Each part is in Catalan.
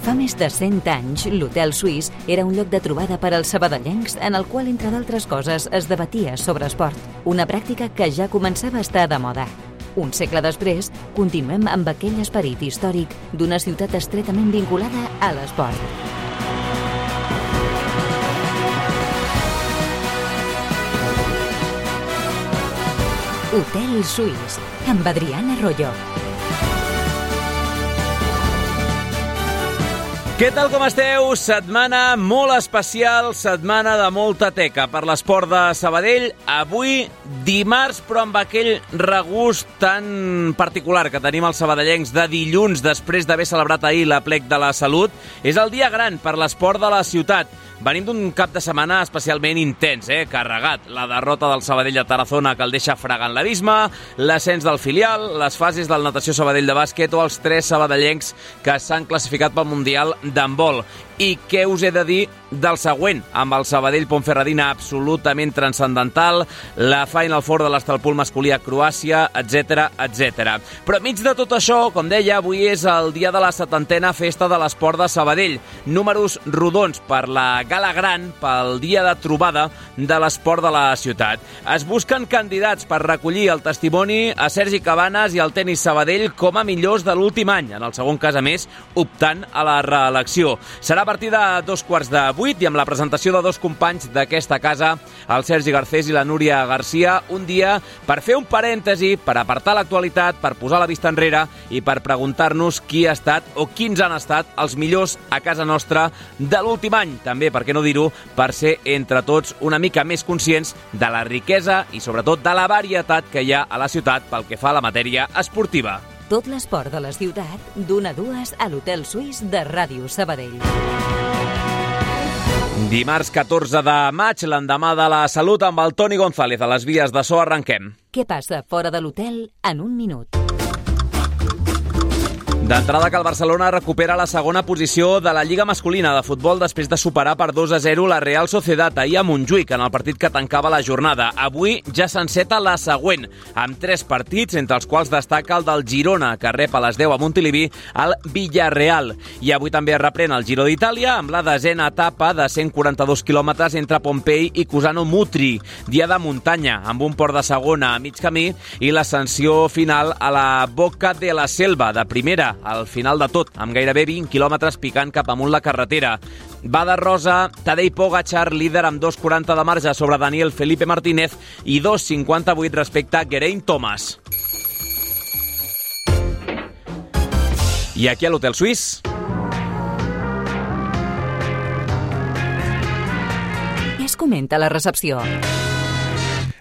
Fa més de 100 anys, l'Hotel Suís era un lloc de trobada per als sabadellencs en el qual, entre d'altres coses, es debatia sobre esport, una pràctica que ja començava a estar de moda. Un segle després, continuem amb aquell esperit històric d'una ciutat estretament vinculada a l'esport. Hotel Suís, amb Adriana Royo. Què tal, com esteu? Setmana molt especial, setmana de molta teca per l'esport de Sabadell. Avui, dimarts, però amb aquell regust tan particular que tenim els sabadellencs de dilluns, després d'haver celebrat ahir l'Aplec de la Salut. És el dia gran per l'esport de la ciutat. Venim d'un cap de setmana especialment intens, carregat. La derrota del Sabadell a Tarazona, que el deixa fregant l'abisme, l'ascens del filial, les fases del Natació Sabadell de bàsquet o els 3 sabadellencs que s'han classificat pel Mundial d'handbol. I què us he de dir del següent? Amb el Sabadell-Ponferradina absolutament transcendental, la Final Four de l'Estalpul masculí a Croàcia, etc, etc. Però enmig de tot això, com deia, avui és el dia de la 70a Festa de l'Esport de Sabadell. Números rodons per la gala gran, pel dia de trobada de l'esport de la ciutat. Es busquen candidats per recollir el testimoni a Sergi Cabanes i al tenis Sabadell com a millors de l'últim any, en el segon cas, a més, optant a la reelecció. Serà a partir de 7:45 i amb la presentació de 2 companys d'aquesta casa, el Sergi Garcés i la Núria Garcia, un dia per fer un parèntesi, per apartar l'actualitat, per posar la vista enrere i per preguntar-nos qui ha estat o quins han estat els millors a casa nostra de l'últim any. També, per què no dir-ho, per ser entre tots una mica més conscients de la riquesa i sobretot de la varietat que hi ha a la ciutat pel que fa a la matèria esportiva. Tot l'esport de la ciutat, d'1 a 2 a l'Hotel Suís de Ràdio Sabadell. Dimarts 14 de maig, l'endemà de la Salut, amb el Toni González a les vies de so. Arrenquem. Què passa fora de l'hotel en un minut? D'entrada, que el Barcelona recupera la segona posició de la Lliga masculina de futbol després de superar per 2-0 la Real Sociedad ahir a Montjuïc, en el partit que tancava la jornada. Avui ja s'enceta la següent, amb 3 partits, entre els quals destaca el del Girona, que rep a les 10 a Montilivi el Villarreal. I avui també es reprèn el Giro d'Itàlia amb la 10a etapa de 142 quilòmetres entre Pompei i Cusano Mutri. Dia de muntanya, amb un port de segona a mig camí i l'ascensió final a la Boca de la Selva, de primera, al final de tot, amb gairebé 20 quilòmetres picant cap amunt la carretera. Va de rosa, Tadej Pogačar, líder amb 2,40 de marge sobre Daniel Felipe Martínez i 2,58 respecte a Geraint Thomas. I aquí a l'Hotel Suís. Què es comenta a la recepció?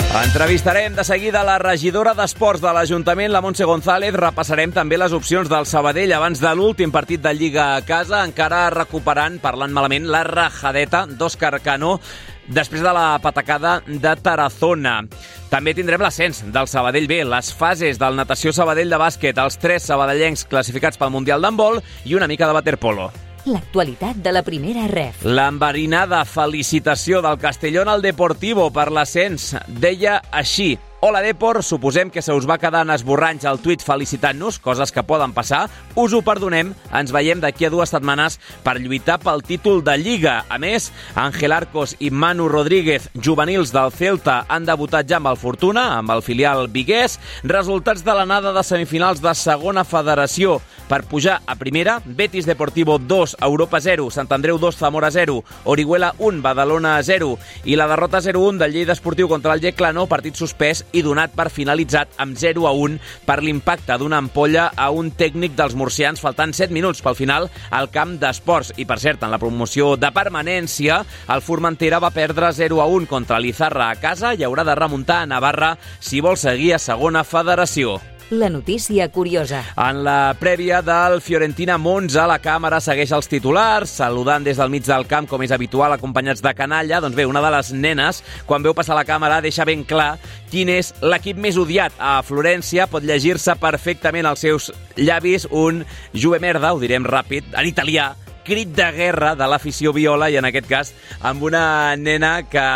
Entrevistarem de seguida la regidora d'Esports de l'Ajuntament, la Montse González. Repassarem també les opcions del Sabadell abans de l'últim partit de Lliga a casa, encara recuperant, parlant malament, la rajadeta d'Òscar Cano després de la patacada de Tarazona. També tindrem l'ascens del Sabadell B, les fases del Natació Sabadell de bàsquet, els 3 sabadellencs classificats pel Mundial d'handbol i una mica de waterpolo. L'actualitat de la primera ref. L'enverinada felicitació del Castellón al Deportivo per l'ascens deia així: Hola Depor, suposem que se us va quedar en esborranys el tuit felicitant-nos, coses que poden passar, us ho perdonem, ens veiem d'aquí a 2 setmanes per lluitar pel títol de Lliga. A més, Ángel Arcos i Manu Rodríguez, juvenils del Celta, han debutat ja amb el Fortuna, amb el filial viguès. Resultats de l'anada de semifinals de segona federació. Per pujar a primera, Betis Deportivo 2, Europa 0, Sant Andreu 2, Zamora 0, Orihuela 1, Badalona 0 i la derrota 0-1 del Lleida Esportiu contra el Yeclano, partit suspès i donat per finalitzat amb 0-1 per l'impacte d'una ampolla a un tècnic dels murcians, faltant 7 minuts pel final al camp d'esports. I, per cert, en la promoció de permanència, el Formentera va perdre 0-1 contra l'Izarra a casa i haurà de remuntar a Navarra si vol seguir a segona federació. La notícia curiosa. En la prèvia del Fiorentina-Monza, la càmera segueix els titulars, saludant des del mig del camp, com és habitual, acompanyats de canalla. Doncs bé, una de les nenes, quan veu passar la càmera, deixa ben clar quin és l'equip més odiat a Florència. Pot llegir-se perfectament als seus llavis un "Juve merda", ho direm ràpid, en italià, crit de guerra de l'afició viola, i en aquest cas amb una nena que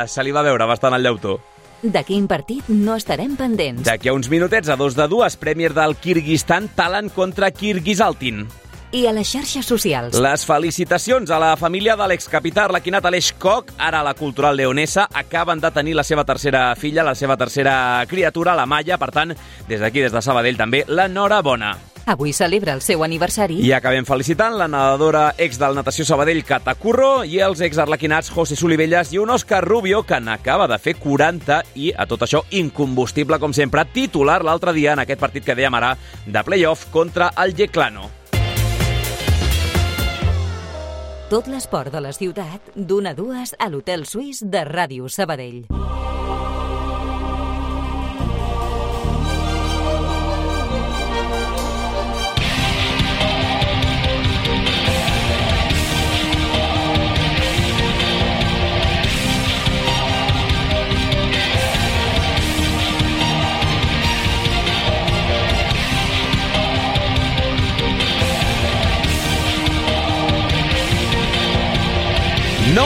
se li va veure bastant al llautó. De quin partit no estarem pendents? D'aquí a uns minutets, a 2-2, Premier del Kirguistan, Talant contra Kirguisaltin. i a les xarxes socials. Les felicitacions a la família de l'excapità arlequinat Aleix Koch, ara a la Cultural Leonesa. Acaben de tenir la seva tercera filla, la seva tercera criatura, la Maya. Per tant, des d'aquí, des de Sabadell, també l'enhorabona. Avui celebra el seu aniversari. I acabem felicitant la nedadora ex del Natació Sabadell, Cata Curro, i els ex-arlequinats José Solivelles i un Òscar Rubio, que n'acaba de fer 40 i, a tot això, incombustible, com sempre, titular l'altre dia en aquest partit que dèiem ara de play-off contra el Yeclano. Tot l'esport de la ciutat, d'1 a 2 a l'Hotel Suís de Ràdio Sabadell.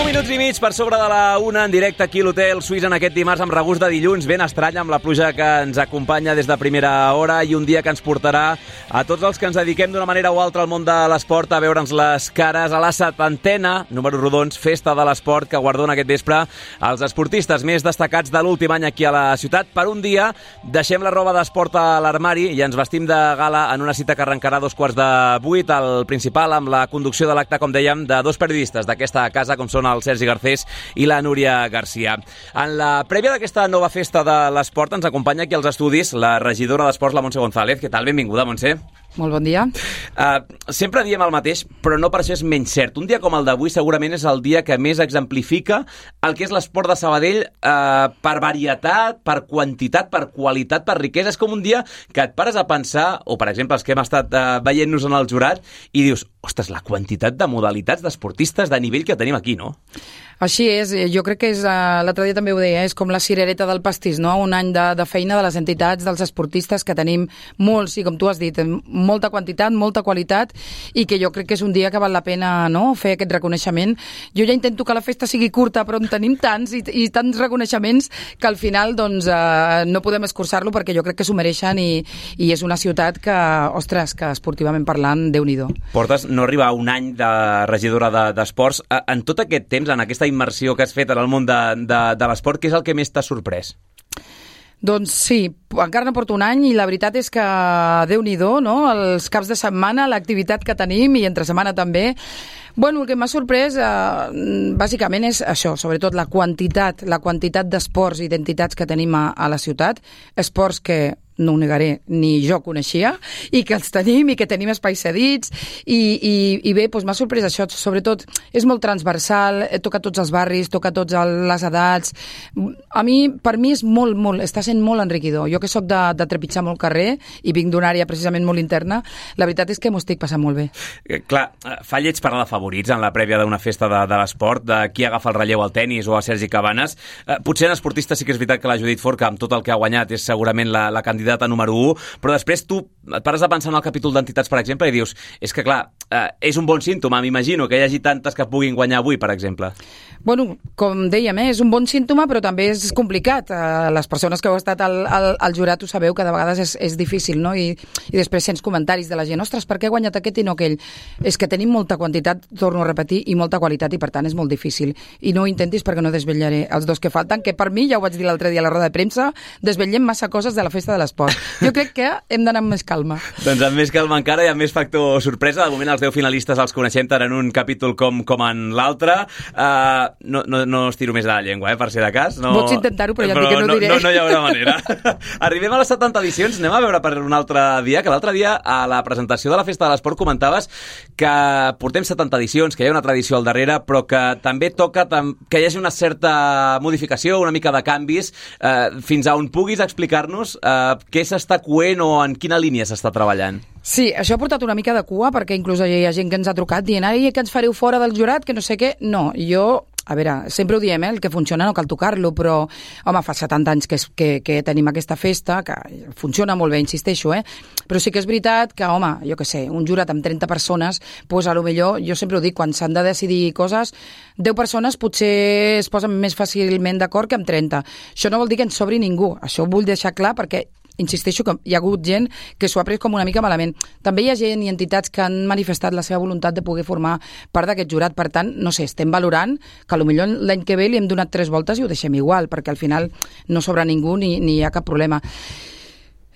Minuts i mig per sobre de la 1 en directe aquí a l'Hotel Suís en aquest dimarts amb regust de dilluns ben estrany amb la pluja que ens acompanya des de primera hora i un dia que ens portarà a tots els que ens dediquem d'una manera o altra al món de l'esport a veure'ns les cares a la 70a, números rodons, festa de l'esport que guardona aquest vespre els esportistes més destacats de l'últim any aquí a la ciutat. Per un dia deixem la roba d'esport a l'armari i ens vestim de gala en una cita que arrencarà a 7:15 al principal amb la conducció de l'acte, com dèiem, de dos periodistes d'aquesta casa, com són el Sergi Garcés i la Núria Garcia. En la prèvia d'aquesta nova festa de l'esport ens acompanya aquí als estudis la regidora d'Esports, la Montse González. Què tal? Benvinguda, Montse. Molt bon dia. Sempre diem el mateix, però no per això és menys cert. Un dia com el d'avui segurament és el dia que més exemplifica el que és l'esport de Sabadell per varietat, per quantitat, per qualitat, per riquesa. És com un dia que et pares a pensar, o per exemple els que hem estat veient-nos en el jurat, i dius, ostres, la quantitat de modalitats d'esportistes de nivell que tenim aquí, no? Així és, jo crec que és, l'altre dia també ho deia, és com la cirereta del pastís, no? Un any de feina de les entitats, dels esportistes, que tenim molts, i com tu has dit, molta quantitat, molta qualitat, i que jo crec que és un dia que val la pena, no?, fer aquest reconeixement. Jo ja intento que la festa sigui curta, però en tenim tants i tants reconeixements que al final doncs, no podem escurçar-lo perquè jo crec que s'ho mereixen i és una ciutat que, ostres, que esportivament parlant, Déu-n'hi-do. Portes no arriba a un any de regidora d'esports. En tot aquest temps, en aquesta immersió que has fet en el món de l'esport, què és el que més t'ha sorprès? Doncs sí, encara no porto un any i la veritat és que Déu-n'hi-do, no? Els caps de setmana, l'activitat que tenim i entre setmana també. Bueno, el que m'ha sorprès bàsicament és això, sobretot la quantitat d'esports i d'entitats que tenim a la ciutat, esports que no ho negaré, ni jo coneixia, i que els tenim i que tenim espais cedits, i bé, doncs m'ha sorprès això, sobretot és molt transversal, toca tots els barris, toca tots les edats. Per mi és molt, està sent molt enriquidor. Jo que soc de trepitjar molt carrer i vinc d'una àrea precisament molt interna, la veritat és que m'ho estic passant molt bé. Clar, fa lleig parlar de favorits en la prèvia d'una festa de l'esport, de qui agafa el relleu al tennis o a Sergi Cabanes. Potser en esportista sí que és veritat que la Judit Forca, amb tot el que ha guanyat, és segurament la candidata a número 1, però després tu et pares a pensar en el capítol d'entitats, per exemple, i dius, és que clar, és un bon símptoma, m'imagino, que hi hagi tantes que puguin guanyar avui, per exemple. Bueno, com dèiem, és un bon símptoma, però també és complicat. Les persones que heu estat al jurat ho sabeu que de vegades és difícil, no? I després sents comentaris de la gent, ostres, per què ha guanyat aquest i no aquell? És que tenim molta quantitat, torno a repetir, i molta qualitat, i per tant és molt difícil. I no ho intentis perquè no desvetllaré els dos que falten, que per mi, ja ho vaig dir l'altre dia a la roda de premsa, desvetllem massa coses de la festa de l'esport. Jo crec que hem d'anar amb més calma. Doncs amb més calma encara i amb més factor sorpresa. De moment els 10 finalistes els coneixem tant en un capítol com en l'altre. No estiro més de la llengua, per si de cas. Pots intentar-ho, però ja et dic que no diré. No hi haurà manera. Arribem a les 70 edicions, anem a veure per un altre dia, que l'altre dia a la presentació de la Festa de l'Esport comentaves que portem 70 edicions, que hi ha una tradició al darrere, però que també toca que hi hagi una certa modificació, una mica de canvis, fins a on puguis explicar-nos què s'està coent o en quina línia s'està treballant. Sí, això ha portat una mica de cua, perquè inclús hi ha gent que ens ha trucat dient que ens fareu fora del jurat, que no sé què. No, jo... A veure, sempre ho diem, el que funciona no cal tocar-lo, però, home, fa 70 anys que tenim aquesta festa, que funciona molt bé, insisteixo, però sí que és veritat que, home, jo què sé, un jurat amb 30 persones, doncs a lo millor, jo sempre ho dic, quan s'han de decidir coses, 10 persones potser es posen més fàcilment d'acord que amb 30. Això no vol dir que ens sobri ningú, això ho vull deixar clar perquè insisteixo que hi ha hagut gent que s'ho ha pres com una mica malament. També hi ha gent i entitats que han manifestat la seva voluntat de poder formar part d'aquest jurat. Per tant, no sé, estem valorant que potser l'any que ve li hem donat 3 voltes i ho deixem igual, perquè al final no sobra ningú ni hi ha cap problema.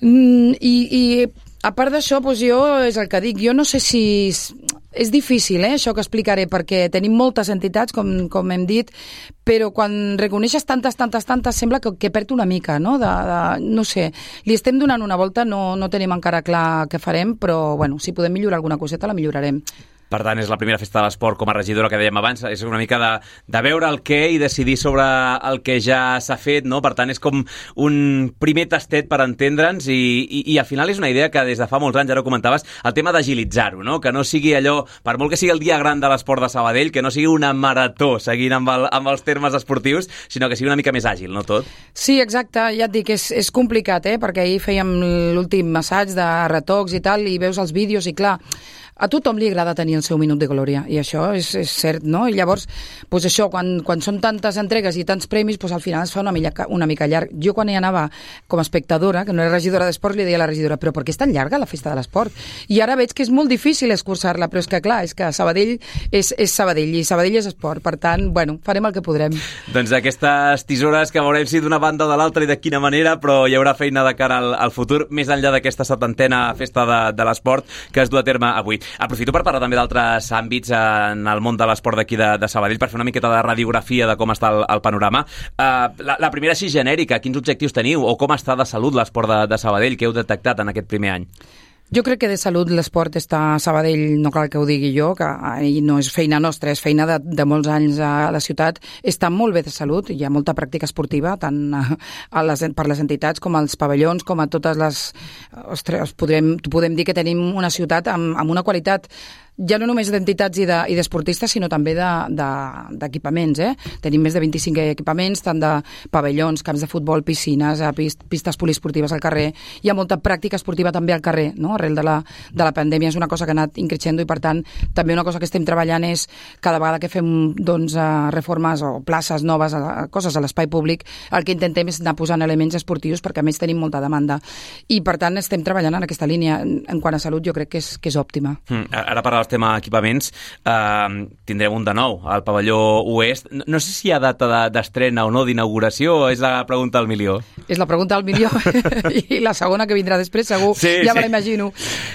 I a part d'això, doncs jo és el que dic, jo no sé si... És difícil, això que explicaré, perquè tenim moltes entitats, com hem dit, però quan reconeixes tantes, sembla que perd una mica, no? No sé, li estem donant una volta, no tenim encara clar què farem, però bueno, si podem millorar alguna coseta, la millorarem. Per tant, és la primera festa de l'esport com a regidora que dèiem abans, és una mica de veure el què i decidir sobre el que ja s'ha fet, no? Per tant, és com un primer tastet per entendre'ns i al final és una idea que des de fa molts anys, ja ho comentaves, el tema d'agilitzar-ho, no? Que no sigui allò, per molt que sigui el dia gran de l'esport de Sabadell, que no sigui una marató seguint amb els termes esportius, sinó que sigui una mica més àgil, no tot? Sí, exacte, ja et dic, és complicat, perquè ahir fèiem l'últim assaig de retocs i tal, i veus els vídeos i clar, a tothom li agrada tenir el seu minut de glòria, i això és cert, no? I llavors, doncs això, quan són tantes entregues i tants premis, doncs al final es fa una mica llarg. Jo quan hi anava com a espectadora, que no era regidora d'esport, li deia a la regidora, però per què és tan llarga la festa de l'esport? I ara veig que és molt difícil escurçar-la, però és que clar, és que Sabadell és Sabadell, i Sabadell és esport, per tant, bueno, farem el que podrem. Doncs aquestes tisores que veurem si d'una banda o de l'altra i de quina manera, però hi haurà feina de cara al futur, més enllà d'aquesta 70a festa de l'esport que es du a terme avui. Aprofito per parlar també d'altres àmbits en el món de l'esport d'aquí de Sabadell per fer una miqueta de radiografia de com està el panorama. La primera així genèrica, quins objectius teniu o com està de salut l'esport de Sabadell? Què heu detectat en aquest primer any? Jo crec que de salut l'esport està a Sabadell, no cal que ho digui jo, que no és feina nostra, és feina de molts anys a la ciutat. Està molt bé de salut, hi ha molta pràctica esportiva, tant per les entitats com als pavellons, com a totes les... Ostres, podem dir que tenim una ciutat amb una qualitat ja no només d'entitats i d'esportistes, sinó també d'equipaments. Tenim més de 25 equipaments, tant de pavellons, camps de futbol, piscines, pistes poliesportives al carrer. Hi ha molta pràctica esportiva també al carrer, no? Arrel de la pandèmia és una cosa que ha anat increixendo i, per tant, també una cosa que estem treballant és cada vegada que fem reformes o places noves, coses a l'espai públic, el que intentem és anar posant elements esportius perquè a més tenim molta demanda. I, per tant, estem treballant en aquesta línia. En quant a salut, jo crec que és òptima. Ara parlaves tema equipaments, tindrem un de nou al pavelló oest. No sé si hi ha data d'estrena o no, d'inauguració, o és la pregunta al milió? És la pregunta al milió i la segona que vindrà després, segur, ja me l'imagino.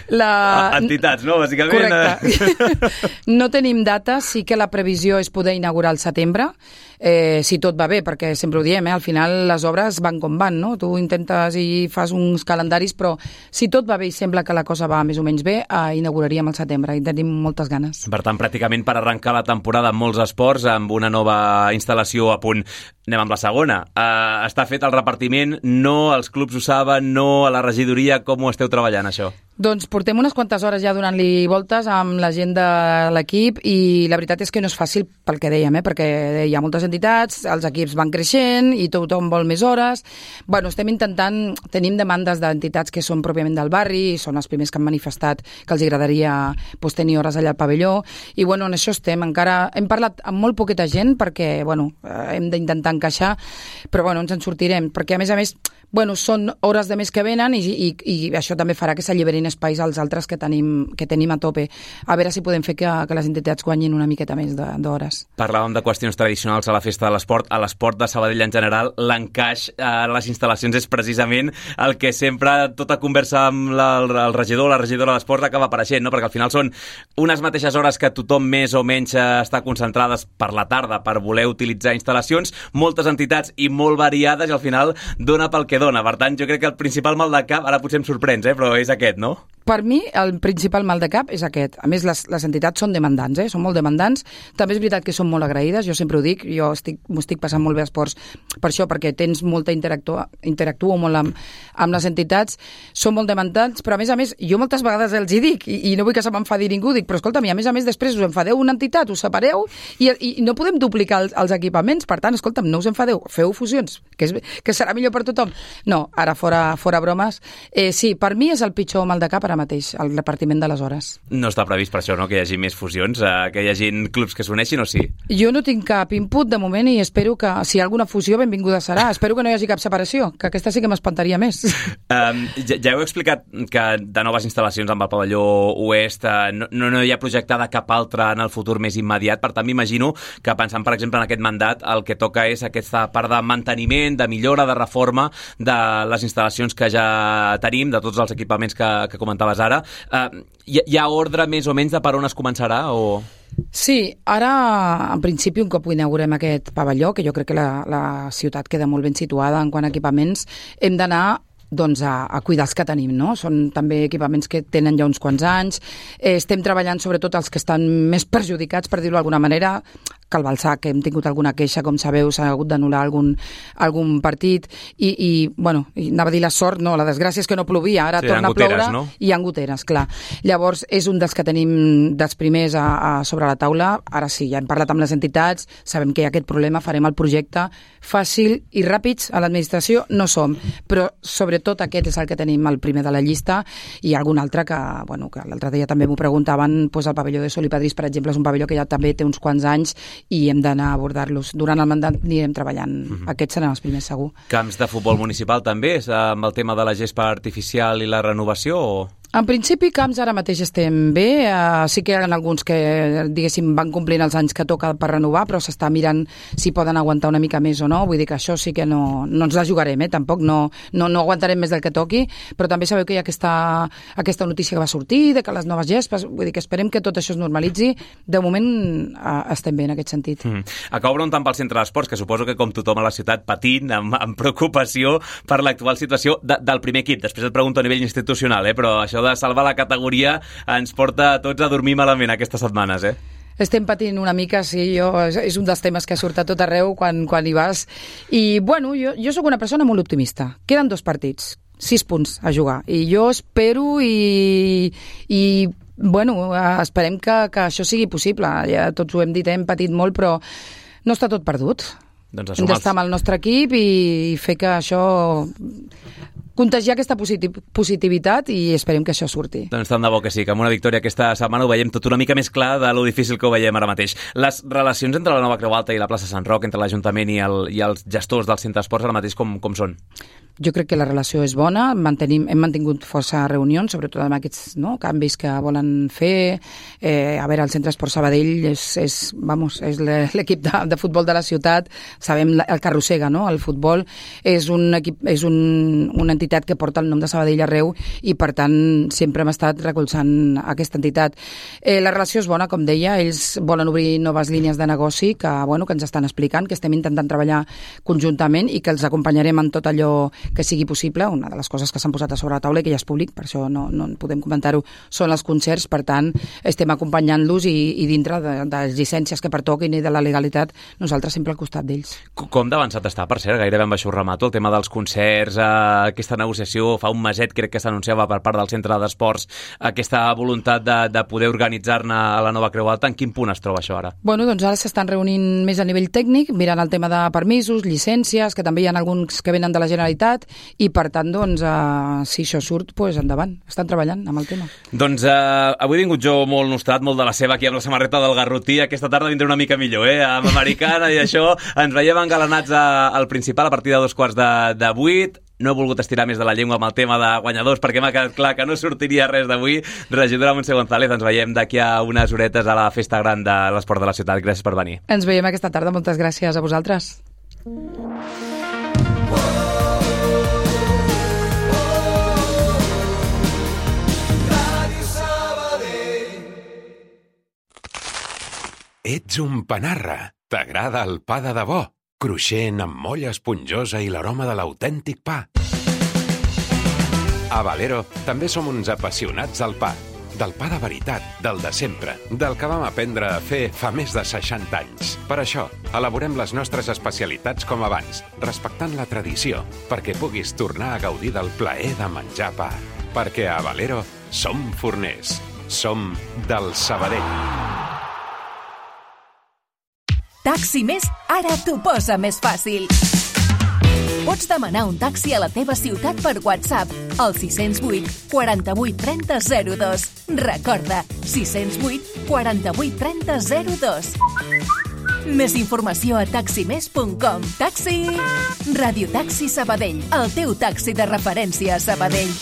Entitats, no? Bàsicament. Correcte. No tenim data, sí que la previsió és poder inaugurar al setembre, si tot va bé, perquè sempre ho diem, al final les obres van com van, no? Tu intentes i fas uns calendaris, però si tot va bé i sembla que la cosa va més o menys bé, inauguraríem al setembre i tenim moltes ganes. Per tant, pràcticament per arrencar la temporada amb molts esports, amb una nova instal·lació a punt. Anem amb la segona. Està fet el repartiment, no els clubs ho saben, no a la regidoria, com ho esteu treballant, això? Doncs portem unes quantes hores ja donant-li voltes amb la gent de l'equip i la veritat és que no és fàcil pel que dèiem, perquè hi ha moltes entitats, els equips van creixent i tothom vol més hores. Bueno, estem intentant, tenim demandes d'entitats que són pròpiament del barri i són els primers que han manifestat que els agradaria tenir hores allà al pavelló i bueno, en això estem. Encara hem parlat amb molt poqueta gent perquè bueno, hem d'intentar encaixar, però bueno, ens en sortirem, perquè a més bueno, són hores de més que venen i això també farà que s'alliberin espais als altres que tenim a tope. A veure si podem fer que les entitats guanyin una miqueta més d'hores. Parlàvem de qüestions tradicionals a la festa de l'esport. A l'esport de Sabadell en general, l'encaix a les instal·lacions és precisament el que sempre tota conversa amb el regidor o la regidora de l'esport acaba apareixent, no? Perquè al final són unes mateixes hores que tothom més o menys està concentrades per la tarda per voler utilitzar instal·lacions, moltes entitats i molt variades i al final dona pel que dona. Per tant, jo crec que el principal mal de cap, ara potser em sorprens, però és aquest, no? Per mi, el principal mal de cap és aquest. A més, les entitats són demandants, són molt demandants. També és veritat que són molt agraïdes, jo sempre ho dic, jo m'ho estic passant molt bé a esports per això, perquè tens molta interactuo molt amb les entitats, són molt demandants, però a més, jo moltes vegades els hi dic, i no vull que se m'enfadi ningú, dic, però escolta'm, a més, després us enfadeu una entitat, us separeu, i no podem duplicar els equipaments, per tant, escolta'm, no us enfadeu, feu fusions, que serà millor per tothom. No, ara fora bromes. Sí, per mi és el pitjor mal de cap ara ara mateix, el repartiment de les hores. No està previst per això, no?, que hi hagi més fusions, que hi hagi clubs que s'uneixin, o sí? Jo no tinc cap input de moment i espero que, si hi ha alguna fusió, benvinguda serà. Espero que no hi hagi cap separació, que aquesta sí que m'espantaria més. Ja heu explicat que de noves instal·lacions amb el pavelló oest no hi ha projectada cap altra en el futur més immediat, per tant m'imagino que pensant, per exemple, en aquest mandat, el que toca és aquesta part de manteniment, de millora, de reforma de les instal·lacions que ja tenim, de tots els equipaments que comentaves ara. Hi ha ordre més o menys de per on es començarà o...? Sí, ara, en principi, un cop inaugurem aquest pavelló, que jo crec que la ciutat queda molt ben situada en quant a equipaments, hem d'anar doncs, a cuidar els que tenim, no? Són també equipaments que tenen ja uns quants anys. Estem treballant sobretot els que estan més perjudicats, per dir-ho d'alguna manera, que el Balsac, que hem tingut alguna queixa, com sabeu, s'ha hagut d'anul·lar algun partit i anava a dir la sort, no, la desgràcia és que no plovia, ara torna a ploure, no? I hi ha goteres, clar. Llavors, és un dels que tenim dels primers sobre la taula. Ara sí, ja hem parlat amb les entitats, sabem que hi ha aquest problema, farem el projecte fàcil i ràpids a l'administració, no som, però sobretot aquest és el que tenim el primer de la llista, i algun altre que l'altre dia també m'ho preguntaven, doncs el pavelló de Sol i Padrís, per exemple, és un pavelló que ja també té uns quants anys i hem d'anar a abordar-los. Durant el mandat anirem treballant. Aquests seran els primers, segur. Camps de futbol municipal també, amb el tema de la gespa artificial i la renovació, o...? En principi, camps ara mateix estem bé. Sí que hi ha alguns que, diguéssim, van complint els anys que toca per renovar, però s'està mirant si poden aguantar una mica més o no. Vull dir que això sí que no ens la jugarem, tampoc no aguantarem més del que toqui, però també sabeu que hi ha aquesta notícia que va sortir, de que les noves gespes, vull dir que esperem que tot això es normalitzi. De moment estem bé en aquest sentit. Acabo preguntant pel centre d'esports, que suposo que com tothom a la ciutat patint, amb preocupació per l'actual situació del primer equip. Després et pregunto a nivell institucional, però això de salvar la categoria ens porta a tots a dormir malament aquestes setmanes, Estem patint una mica, sí, és un dels temes que surt a tot arreu quan hi vas. I, jo sóc una persona molt optimista. Queden 2 partits, 6 punts a jugar. I jo espero esperem que això sigui possible. Ja tots ho hem dit, hem patit molt, però no està tot perdut. Doncs hem d'estar amb el nostre equip i fer que això... contagiar aquesta positivitat i esperem que això surti. Doncs tant de bo que sí, que amb una victòria aquesta setmana ho veiem tot una mica més clar de lo difícil que ho veiem ara mateix. Les relacions entre la Nova Creu Alta i la plaça Sant Roc, entre l'Ajuntament i els gestors del centre d'esports ara mateix com són? Jo crec que la relació és bona, hem mantingut força reunions, sobretot amb aquests canvis que volen fer. A veure, el Centre d'Esport Sabadell és l'equip de futbol de la ciutat, sabem el que arrossega, no? El futbol és una entitat que porta el nom de Sabadell arreu i, per tant, sempre hem estat recolzant aquesta entitat. La relació és bona, com deia, ells volen obrir noves línies de negoci que ens estan explicant, que estem intentant treballar conjuntament i que els acompanyarem en tot allò que sigui possible. Una de les coses que s'han posat a sobre la taula i que ja és públic, per això no podem comentar-ho, són els concerts. Per tant, estem acompanyant-los i dintre de les llicències que pertoquin i de la legalitat, nosaltres sempre al costat d'ells. Com d'avançat està, per cert, gairebé amb això remato, el tema dels concerts, aquesta negociació, fa un meset crec que s'anunciava per part del Centre d'Esports aquesta voluntat de poder organitzar-ne a la Nova Creu Alta. En quin punt es troba això ara? Doncs ara s'estan reunint més a nivell tècnic, mirant el tema de permisos, llicències, que també hi ha alguns que venen de la Generalitat, i per tant, si això surt, endavant. Estan treballant amb el tema. Doncs avui he vingut jo molt nostrat, molt de la seva, aquí amb la samarreta del Garrotí. Aquesta tarda vindré una mica millor, amb americana i això. Ens veiem engalanats al Principal a partir de 7:15. No he volgut estirar més de la llengua amb el tema de guanyadors perquè m'ha quedat clar que no sortiria res d'avui. Regidora Montse González, ens veiem d'aquí a unes horetes a la festa gran de l'esport de la ciutat. Gràcies per venir. Ens veiem aquesta tarda. Moltes gràcies a vosaltres. Ets un panarra. T'agrada el pa de debò? Cruixent, amb molla esponjosa i l'aroma de l'autèntic pa. A Valero també som uns apassionats del pa. Del pa de veritat, del de sempre, del que vam aprendre a fer fa més de 60 anys. Per això, elaborem les nostres especialitats com abans, respectant la tradició, perquè puguis tornar a gaudir del plaer de menjar pa. Perquè a Valero som forners. Som del Sabadell. Taxi Més ara t'ho posa més fàcil. Pots demanar un taxi a la teva ciutat per WhatsApp al 608 48 30 02. Recorda, 608 48 30 02. Més informació a taximés.com. Taxi! Radiotaxi Sabadell, el teu taxi de referència a Sabadell.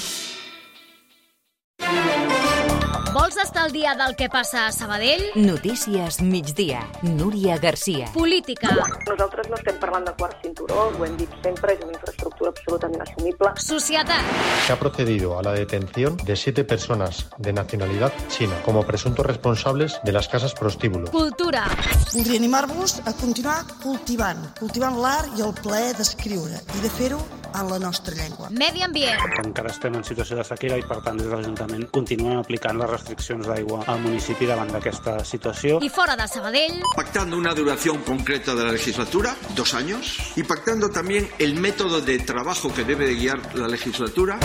Vols estar al dia del que passa a Sabadell? Notícies migdia. Núria Garcia. Política. Nosaltres no estem parlant de quart cinturó, ho hem dit sempre, és una infraestructura absolutament assumible. Societat. Se ha procedido a la detención de 7 personas de nacionalidad china como presuntos responsables de las casas prostíbulo. Cultura. Voldria animar-vos a continuar cultivant l'art i el plaer d'escriure i de fer-ho en la nostra llengua. Medi ambient. Encara estem en situació de sequera i, per tant, des de l'Ajuntament continuem aplicant les restriccions d'aigua al municipi davant d'aquesta situació. I fora de Sabadell. Pactando una duración concreta de la legislatura, 2 años, y pactando también el método de trabajo que debe de guiar la legislatura.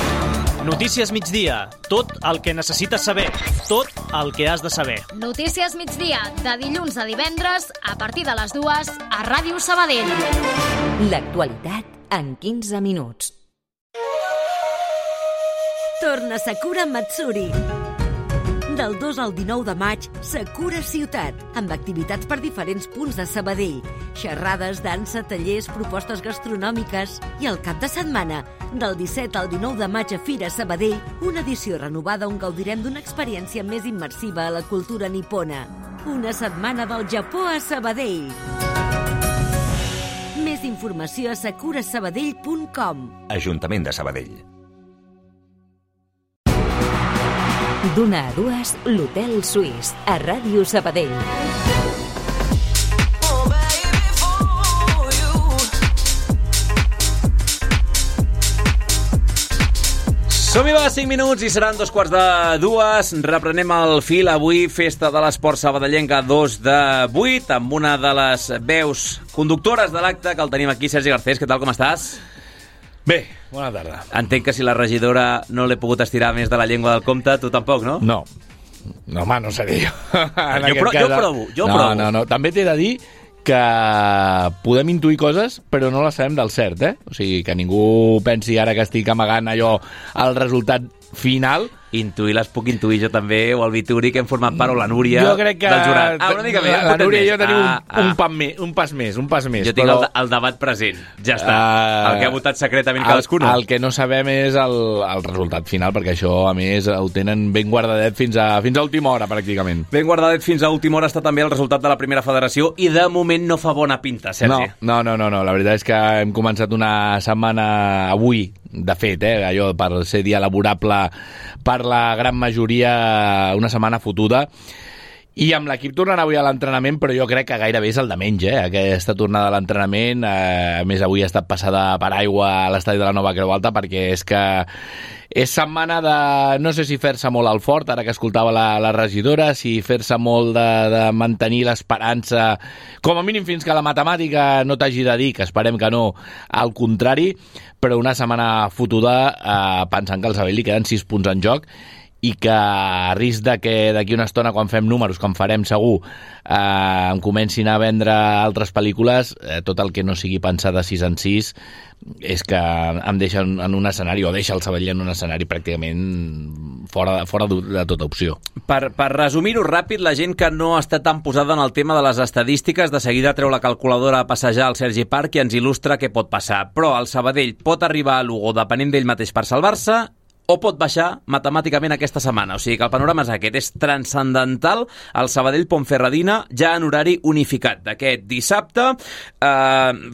Notícies migdia. Tot el que necessites saber. Tot el que has de saber. Notícies migdia, de dilluns a divendres, a partir de les 2, a Ràdio Sabadell. L'actualitat en 15 minuts. Torna Sakura Matsuri. Del 2 al 19 de maig, Sakura Ciutat, amb activitats per diferents punts de Sabadell, xerrades, dansa, tallers, propostes gastronòmiques i el cap de setmana, del 17 al 19 de maig a Fira Sabadell, una edició renovada on gaudirem d'una experiència més immersiva a la cultura nipona. Una setmana del Japó a Sabadell. Més informació a sakurasabadell.com. Ajuntament de Sabadell. D'una a 2, l'Hotel Suís, a Ràdio Sabadell. Som-hi, va, 5 minuts i seran 2:45. Reprenem el fil. Avui, festa de l'esport sabadellenca 2 de 8, amb una de les veus conductores de l'acte, que el tenim aquí, Sergi Garcés. Què tal, com estàs? Bé, bona tarda. Entenc que si la regidora no l'he pogut estirar més de la llengua del compte, tu tampoc, no? No. No, home, no seré jo. Jo provo. No. També t'he de dir que podem intuir coses, però no les sabem del cert, eh? O sigui, que ningú pensi ara que estic amagant allò al resultat final. Intuir les puc intuir jo també, o el Vituri, que hem format part, o la Núria jo crec que del jurat. Una mica més. La Núria i jo tenim un pas més. Jo tinc el debat present. Ja està. El que ha votat secretament cadascú. El que no sabem és el resultat final, perquè això, a més, ho tenen ben guardadet fins a última hora, pràcticament. Ben guardadet fins a última hora està també el resultat de la primera federació, i de moment no fa bona pinta, Sergi. No. La veritat és que hem començat una setmana avui, de fet, allò per ser dia laborable per la gran majoria, una setmana fotuda, i amb l'equip tornant avui a l'entrenament, però jo crec que gairebé és el de menys, aquesta tornada a l'entrenament. A més, avui ha estat passada per aigua a l'estadi de la Nova Creu Alta, perquè és que és setmana de, no sé si fer-se molt al fort, ara que escoltava la regidora, si fer-se molt de mantenir l'esperança, com a mínim fins que la matemàtica no t'hagi de dir, que esperem que no, al contrari, però una setmana fotuda pensant que al Sabadell li queden 6 punts en joc, i que a risc de que d'aquí una estona, quan fem números, com farem segur, em comencin a vendre altres pel·lícules, tot el que no sigui pensar de 6 en 6 és que em deixa en un escenari, o deixa el Sabadell en un escenari pràcticament fora de tota opció. Per resumir-ho ràpid, la gent que no està tan posada en el tema de les estadístiques, de seguida treu la calculadora a passejar al Sergi Parc i ens il·lustra què pot passar. Però el Sabadell pot arribar a Lugo depenent d'ell mateix per salvar-se, o pot baixar matemàticament aquesta setmana. O sigui que el panorama és aquest, és transcendental el Sabadell-Ponferradina ja en horari unificat d'aquest dissabte.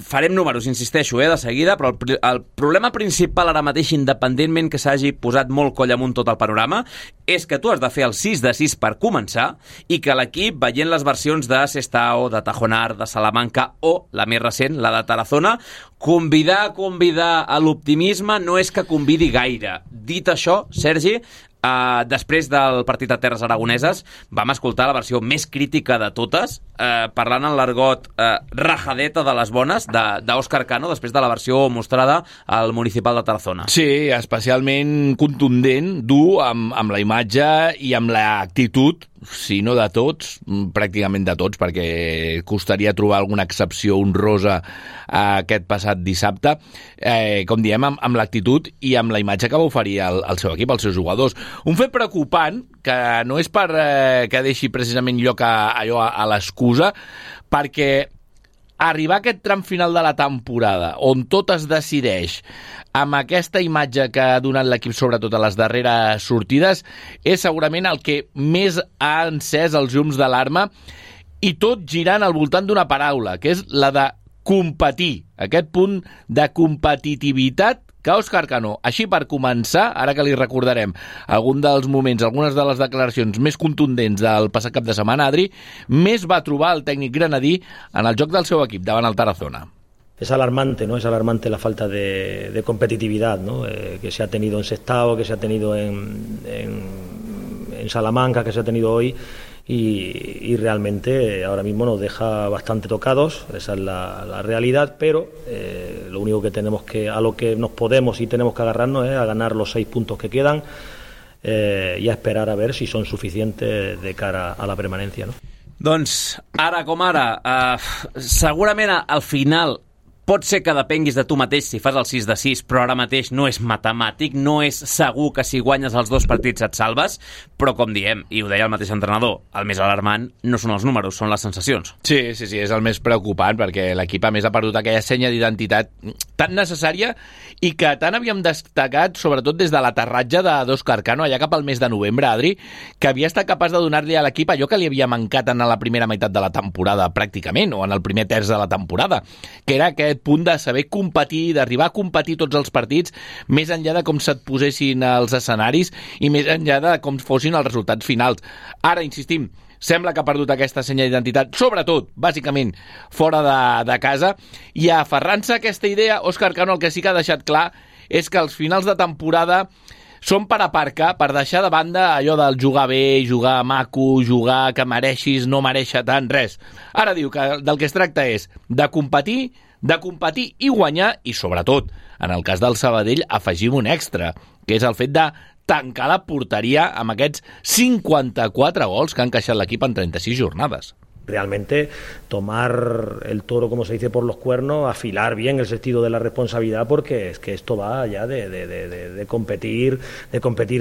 Farem números, insisteixo, de seguida, però el problema principal ara mateix, independentment que s'hagi posat molt coll amunt tot el panorama, és que tu has de fer el 6 de 6 per començar, i que l'equip, veient les versions de Sestao, de Tajonar, de Salamanca, o la més recent, la de Tarazona, convidar a l'optimisme no és que convidi gaire. Dit això, Sergi, Després del partit a Terres Aragoneses vam escoltar la versió més crítica de totes, parlant en l'argot rajadeta de les bones d'Òscar Cano, després de la versió mostrada al Municipal de Tarazona. Sí, especialment contundent, dur amb la imatge i amb l'actitud, si no de tots, pràcticament de tots, perquè costaria trobar alguna excepció honrosa aquest passat dissabte, com diem, amb l'actitud i amb la imatge que va oferir el seu equip, els seus jugadors. Un fet preocupant, que no és per que deixi precisament lloc a l'excusa, perquè arribar a aquest tram final de la temporada, on tot es decideix amb aquesta imatge que ha donat l'equip, sobretot a les darreres sortides, és segurament el que més ha encès els llums d'alarma, i tot girant al voltant d'una paraula, que és la de competir. Aquest punt de competitivitat que Òscar Cano, així per començar, ara que li recordarem algun dels moments, algunes de les declaracions més contundents del passat cap de setmana, Adri, més va trobar el tècnic granadí en el joc del seu equip davant el Tarazona. Es alarmante, ¿no? Es alarmante la falta de competitividad, ¿no? Que se ha tenido en Sestao, que se ha tenido en Salamanca, que se ha tenido hoy, y realmente ahora mismo nos deja bastante tocados. Esa es la realidad, pero lo único que tenemos a lo que nos podemos y tenemos que agarrarnos es a ganar los 6 puntos que quedan y a esperar a ver si son suficientes de cara a la permanencia, ¿no? Doncs, ara com ara, segurament al final pot ser que depenguis de tu mateix si fas el 6 de 6, però ara mateix no és matemàtic, no és segur que si guanyes els 2 partits et salves, però com diem, i ho deia el mateix entrenador, el més alarmant no són els números, són les sensacions. Sí, és el més preocupant, perquè l'equip a més ha perdut aquella senya d'identitat tan necessària i que tant havíem destacat, sobretot des de l'aterratge d'Òscar Cano, allà cap al mes de novembre, Adri, que havia estat capaç de donar-li a l'equip allò que li havia mancat en la primera meitat de la temporada, pràcticament, o en el primer terç de la temporada, que era aquest punt de saber competir, d'arribar a competir tots els partits, més enllà de com se't posessin els escenaris i més enllà de com fossin els resultats finals. Ara, insistim, sembla que ha perdut aquesta senya d'identitat, sobretot, bàsicament, fora de casa, i aferrant-se a aquesta idea, Òscar Cano el que sí que ha deixat clar és que els finals de temporada són per aparcar, per deixar de banda allò del jugar bé, jugar maco, jugar que mereixis, no mereixer tant, res. Ara diu que del que es tracta és de competir i guanyar, i sobretot, en el cas del Sabadell, afegim un extra, que és el fet de tancar la porteria amb aquests 54 gols que ha encaixat l'equip en 36 jornades. Realmente tomar el toro, como se dice, por los cuernos, afilar bien el sentido de la responsabilidad, porque es que esto va ya de competir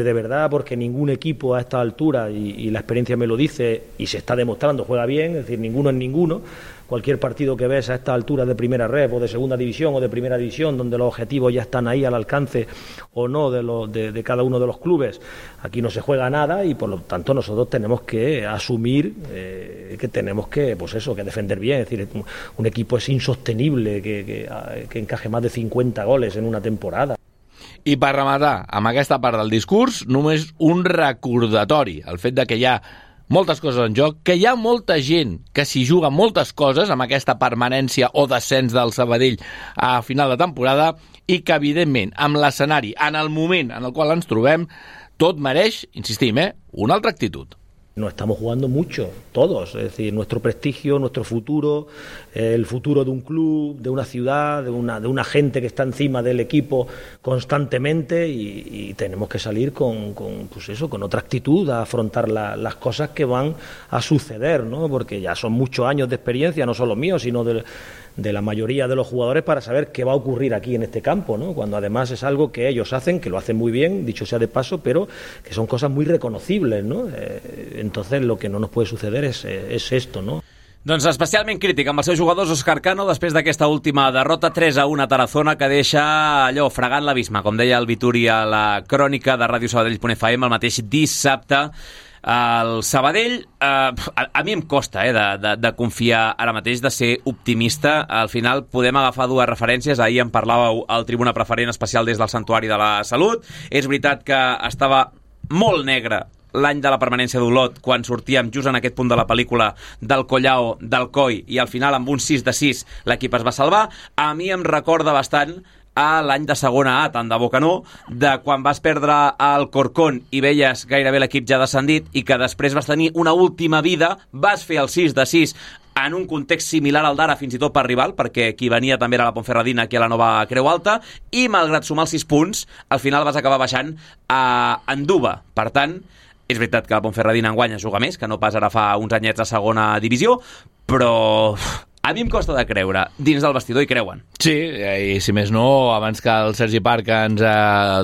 de verdad, porque ningún equipo a esta altura, y la experiencia me lo dice, y se está demostrando, juega bien, es decir, ninguno es ninguno. Cualquier partido que ves a esta altura de primera red o de segunda división o de primera división, donde los objetivos ya están ahí al alcance o no de cada uno de los clubes, aquí no se juega nada, y por lo tanto nosotros tenemos que asumir que tenemos que defender bien. Es decir, un equipo es insostenible que encaje más de 50 goles en una temporada. I per rematar, amb aquesta part del discurs, només un recordatori, el fet de que hi ha moltes coses en joc, que hi ha molta gent que s'hi juga moltes coses amb aquesta permanència o descens del Sabadell a final de temporada, i que, evidentment, amb l'escenari, en el moment en el qual ens trobem, tot mereix, insistim, una altra actitud. Nos estamos jugando mucho, todos, es decir, nuestro prestigio, nuestro futuro, el futuro de un club, de una ciudad, de una gente que está encima del equipo constantemente, y tenemos que salir con otra actitud a afrontar las cosas que van a suceder, ¿no? Porque ya son muchos años de experiencia, no solo míos, sino de la mayoría de los jugadores, para saber qué va a ocurrir aquí en este campo, ¿no? Cuando además es algo que ellos hacen, que lo hacen muy bien, dicho sea de paso, pero que son cosas muy reconocibles, ¿no? Entonces lo que no nos puede suceder es esto, ¿no? Doncs especialment crític amb els seus jugadors, Òscar Cano, després d'aquesta última derrota 3-1 a Tarazona, que deixa allò fregant l'abisme, com deia el Vituri a la crònica de Ràdio Sabadell.fm el mateix dissabte. El Sabadell, a mi em costa de confiar ara mateix, de ser optimista. Al final podem agafar dues referències. Ahir en parlàveu al Tribuna Preferent especial des del Santuari de la Salut. És veritat que estava molt negre l'any de la permanència d'Olot, quan sortíem just en aquest punt de la pel·lícula del Collao, del Coi, i al final amb un 6 de 6 l'equip es va salvar. A mi em recorda bastant a l'any de segona A, tant de bo que no, de quan vas perdre el Corcón i veies gairebé l'equip ja descendit i que després vas tenir una última vida, vas fer el 6-6 en un context similar al d'ara, fins i tot per rival, perquè qui venia també era la Ponferradina aquí a la nova Creu Alta, i malgrat sumar els 6 punts, al final vas acabar baixant a Anduba. Per tant, és veritat que la Ponferradina enguany juga més, que no pas ara fa uns anyets a segona divisió, però a mi em costa de creure. Dins del vestidor hi creuen. Sí, i si més no, abans que el Sergi Parc ens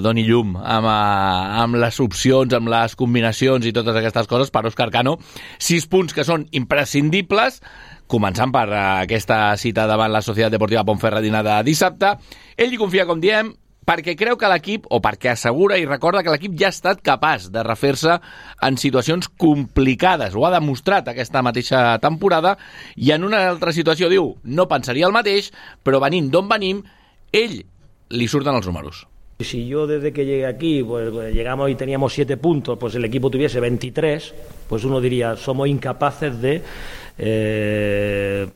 doni llum amb les opcions, amb les combinacions i totes aquestes coses, per Òscar Cano, 6 punts que són imprescindibles, començant per aquesta cita davant la Societat Deportiva Ponferradina de dissabte. Ell hi confia, com diem, perquè creu que l'equip, o perquè assegura i recorda que l'equip ja ha estat capaç de refer-se en situacions complicades. Ho ha demostrat aquesta mateixa temporada, i en una altra situació diu, no pensaria el mateix, però venint d'on venim, ell li surten els números. Si yo desde que llegué aquí, pues llegamos y teníamos 7 puntos, pues el equipo tuviese 23, pues uno diría, somos incapaces de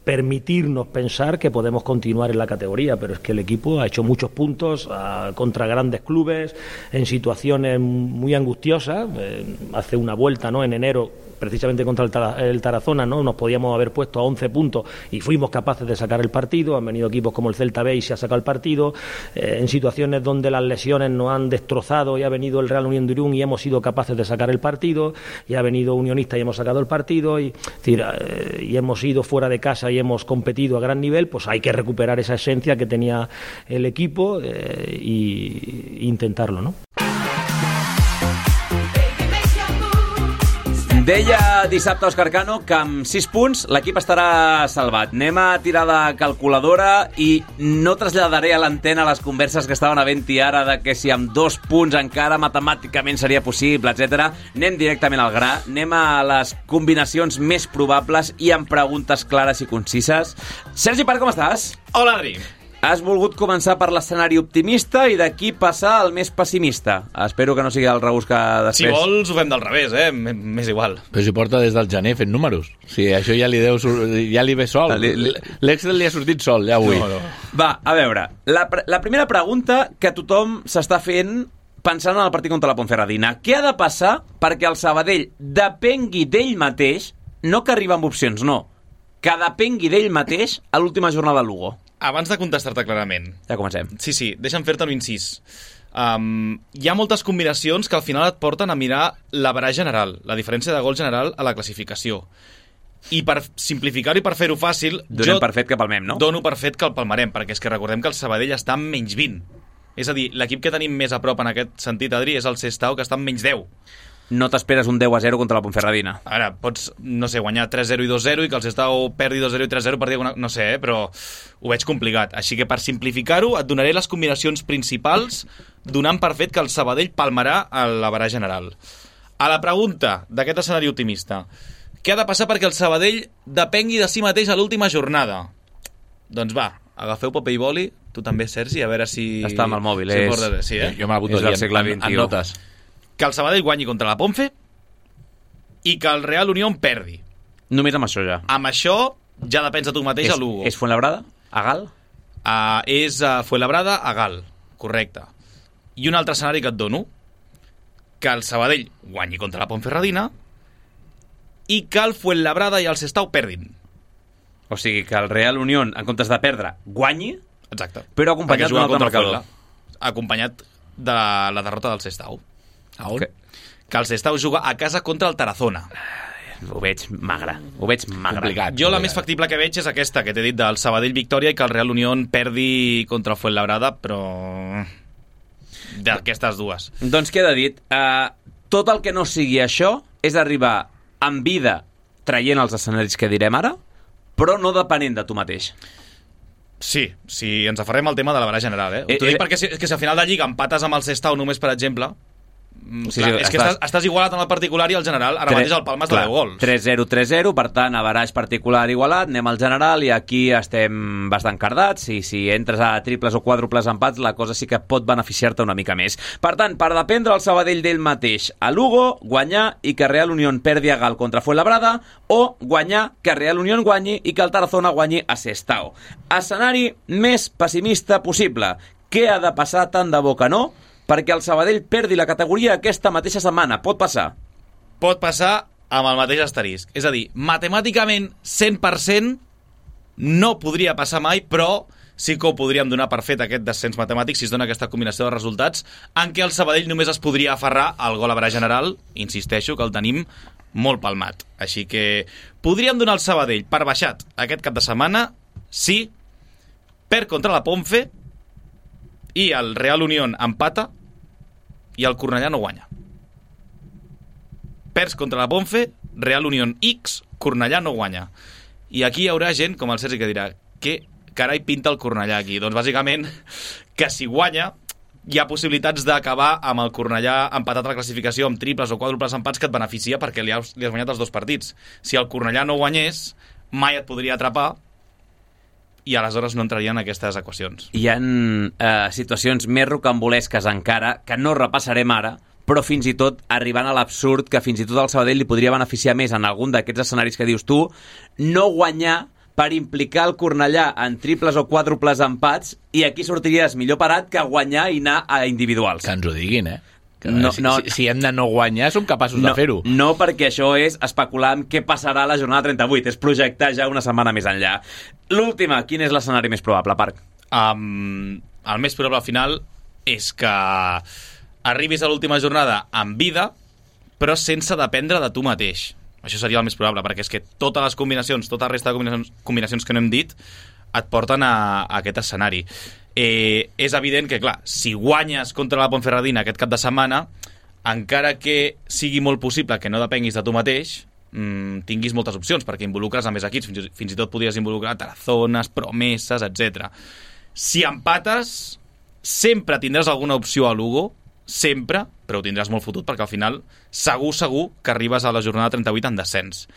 permitirnos pensar que podemos continuar en la categoría, pero es que el equipo ha hecho muchos puntos contra grandes clubes, en situaciones muy angustiosas. Hace una vuelta, ¿no?, en enero, precisamente contra el Tarazona, ¿no?, nos podíamos haber puesto a 11 puntos y fuimos capaces de sacar el partido. Han venido equipos como el Celta B y se ha sacado el partido, en situaciones donde las lesiones nos han destrozado, y ha venido el Real Unión de Irún y hemos sido capaces de sacar el partido, y ha venido Unionista y hemos sacado el partido, y hemos ido fuera de casa y hemos competido a gran nivel. Pues hay que recuperar esa esencia que tenía el equipo e intentarlo, ¿no? Deia dissabte Òscar Cano que amb 6 punts l'equip estarà salvat. Anem a tirar la calculadora i no traslladaré a l'antena les converses que estaven havent-hi ara de que si amb 2 punts encara matemàticament seria possible, etc. Anem directament al gra, anem a les combinacions més probables i amb preguntes clares i concises. Sergi Parc, com estàs? Hola, Adri. Has volgut començar per l'escenari optimista i d'aquí passar al més pessimista. Espero que no sigui el rebús que després... Si vols, ho fem del revés, m'és igual. Però si porta des del gener fent números. Sí, això ja li ve sol. L'Excel li ha sortit sol, ja avui. No. Va, a veure, la primera pregunta que tothom s'està fent pensant en el partit contra la Ponferradina. Què ha de passar perquè el Sabadell depengui d'ell mateix, no que arriba amb opcions, no, que depengui d'ell mateix a l'última jornada de Lugo? Abans de contestar-te clarament... Ja comencem. Sí, deixa'm fer-te un incís. Hi ha moltes combinacions que al final et porten a mirar l'average general, la diferència de gol general a la classificació. I per simplificar-ho i per fer-ho fàcil... Donem per fet que palmem, no? Dono per fet que el palmarem, perquè és que recordem que el Sabadell està en menys 20. És a dir, l'equip que tenim més a prop en aquest sentit, Adri, és el Sestao, que està en menys 10. No t'esperes un 10-0 contra la Ponferradina. Ara, pots, no sé, guanyar 3-0 i 2-0 i que el Sestao perdi 2-0 i 3-0 per dir alguna... No sé, però ho veig complicat. Així que per simplificar-ho et donaré les combinacions principals donant per fet que el Sabadell palmarà a l'average general. A la pregunta d'aquest escenari optimista, què ha de passar perquè el Sabadell depengui de si mateix a l'última jornada? Doncs va, agafeu paper i boli, tu també, Sergi, a veure si... Està amb el mòbil, Sí, Jo m'ha hagut de dir en notes. Que el Sabadell guanyi contra la Ponfe i que el Real Unión perdi. Només amb això ja. Amb això ja depens de tu mateix a Lugo. És Fuenlabrada? A Gal? És Fuenlabrada a Gal, correcte. I un altre escenari que et dono, que el Sabadell guanyi contra la Ponferradina i que el Fuenlabrada i el Sestao perdin. O sigui, que el Real Unión, en comptes de perdre, guanyi. Exacte. Però acompanyat d'un altre marcador. Acompanyat de la derrota del Sestao. Okay. Que el Sestao juga a casa contra el Tarazona. Ho veig magre. Complicat. Jo la més factible que veig és aquesta que t'he dit del Sabadell victòria i que el Real Unión perdi contra el Fuenlabrada, però d'aquestes dues. Doncs queda dit. Tot el que no sigui això és arribar amb vida traient els escenaris que direm ara, però no depenent de tu mateix. Sí, ens aferrem al tema de l'average general, T'ho dic perquè és que si al final de Lliga empates amb el Sestao només, per exemple... Clar, és que estàs igualat en el particular i el general. Ara mateix el Palma és de 10 gols. 3-0, 3-0, per tant, average particular igualat, anem al general i aquí estem bastant cardats, i si entres a triples o quàdruples empats la cosa sí que pot beneficiar-te una mica més. Per tant, per dependre el Sabadell d'ell mateix a Lugo, guanyar i que Real Unión perdi a Gal contra Fuenlabrada, o guanyar que Real Unión guanyi i que el Tarazona guanyi a Sestao. Escenari més pessimista possible, Què ha de passar tant de bo que no perquè el Sabadell perdi la categoria aquesta mateixa setmana? Pot passar? Pot passar amb el mateix asterisc. És a dir, matemàticament 100% no podria passar mai, però sí que ho podríem donar per fet aquest descens matemàtic si es dona aquesta combinació de resultats en què el Sabadell només es podria aferrar al gol a verà general. Insisteixo que el tenim molt palmat. Així que podríem donar el Sabadell per baixat aquest cap de setmana si perd contra la Ponfe i el Real Unión empata i el Cornellà no guanya. Perds contra la Ponfe, Real Unión X, Cornellà no guanya. I aquí hi haurà gent com el Sergi que dirà què carai pinta el Cornellà aquí? Doncs bàsicament que si guanya hi ha possibilitats d'acabar amb el Cornellà empatat a la classificació amb triples o quàdruples empats que et beneficia perquè li has guanyat els 2 partits. Si el Cornellà no guanyés, mai et podria atrapar i aleshores no entrarien aquestes equacions. Hi ha situacions més rocambolesques encara que no repassarem ara, però fins i tot arribant a l'absurd que fins i tot el Sabadell li podria beneficiar més en algun d'aquests escenaris que dius tu, no guanyar per implicar el Cornellà en triples o quàdruples empats i aquí sortiries millor parat que guanyar i anar a individuals. Que ens ho diguin, si hem de no guanyar, som capaços de fer-ho. No, perquè això és especular en què passarà a la jornada 38, és projectar ja una setmana més enllà. L'última, quin és l'escenari més probable, Parc? El més probable al final és que arribis a l'última jornada amb vida, però sense dependre de tu mateix. Això seria el més probable, perquè és que totes les combinacions, tota la resta de combinacions que no hem dit, et porten a aquest escenari. És evident que, clar, si guanyes contra la Ponferradina aquest cap de setmana, encara que sigui molt possible que no depenguis de tu mateix, tinguis moltes opcions, perquè involucres a més equips, fins i tot podries involucrar Tarazones, Promeses, etc. Si empates, sempre tindràs alguna opció a Lugo, sempre, però ho tindràs molt fotut perquè al final segur que arribes a la jornada 38 en descens.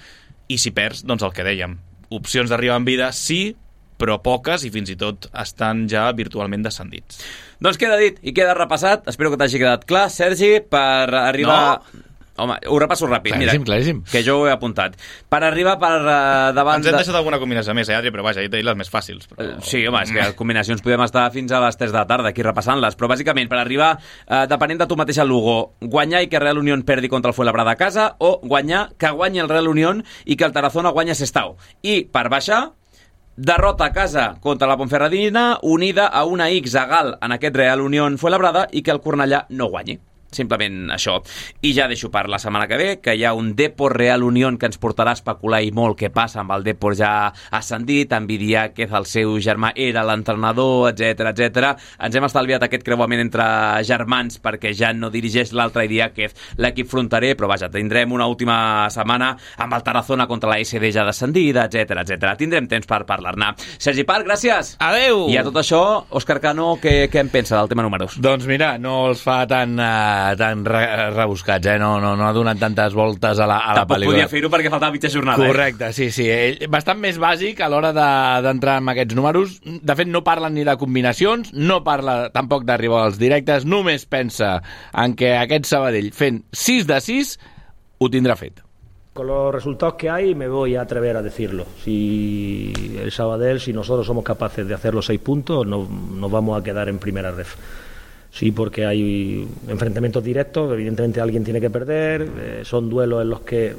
I si perds, doncs el que dèiem, opcions d'arribar en vida sí, però poques i fins i tot estan ja virtualment descendits. Doncs queda dit i queda repassat. Espero que t'hagi quedat clar, Sergi, per arribar... No. Home, ho repasso ràpid. Claríssim. Que jo ho he apuntat. Per arribar per davant... Ens hem deixat alguna combinació més, Adri, però vaja, he dit les més fàcils. Però... Sí, home, és que combinacions podem estar fins a les 3 de la tarda aquí repassant-les, però bàsicament per arribar, depenent de tu mateix al Lugo, guanyar i que Real Unión perdi contra el Fuenlabrada a casa o guanyar que guanyi el Real Unión i que el Tarazona guanya Sestao. I per baixar, derrota a casa contra la Ponferradina unida a una X a Gal en aquest Real Unión Fuenlabrada i que el Cornellà no guanyi. Simplement això. I ja deixo per la setmana que ve, que hi ha un Depor Real Unión que ens portarà a especular i molt què passa amb el Depor ja ascendit, amb Vidiáquez, el seu germà era l'entrenador, etc. Ens hem estalviat aquest creuament entre germans perquè ja no dirigeix l'altre Vidiáquez l'equip fronterer, però vaja, tindrem una última setmana amb el Tarazona contra la SD ja descendida, etc. Tindrem temps per parlar-ne. Sergi Parc, gràcies! Adeu! I a tot això, Òscar Cano, què en pensa del tema números? Doncs mira, no els fa tan rebuscats, no ha donat tantes voltes a la pel·lícula. Tampoc podia fer-ho perquè faltava mitja jornada. Correcte, sí. Bastant més bàsic a l'hora d'entrar en aquests números. De fet, no parlen ni de combinacions, no parla tampoc d'arribar als directes, només pensa en que aquest Sabadell fent 6 de 6 ho tindrà fet. Con los resultados que hay me voy a atrever a decirlo. Si el Sabadell, si nosotros somos capaces de hacer los 6 puntos, nos vamos a quedar en primera ref. Sí, porque hay enfrentamientos directos, evidentemente alguien tiene que perder, son duelos en los que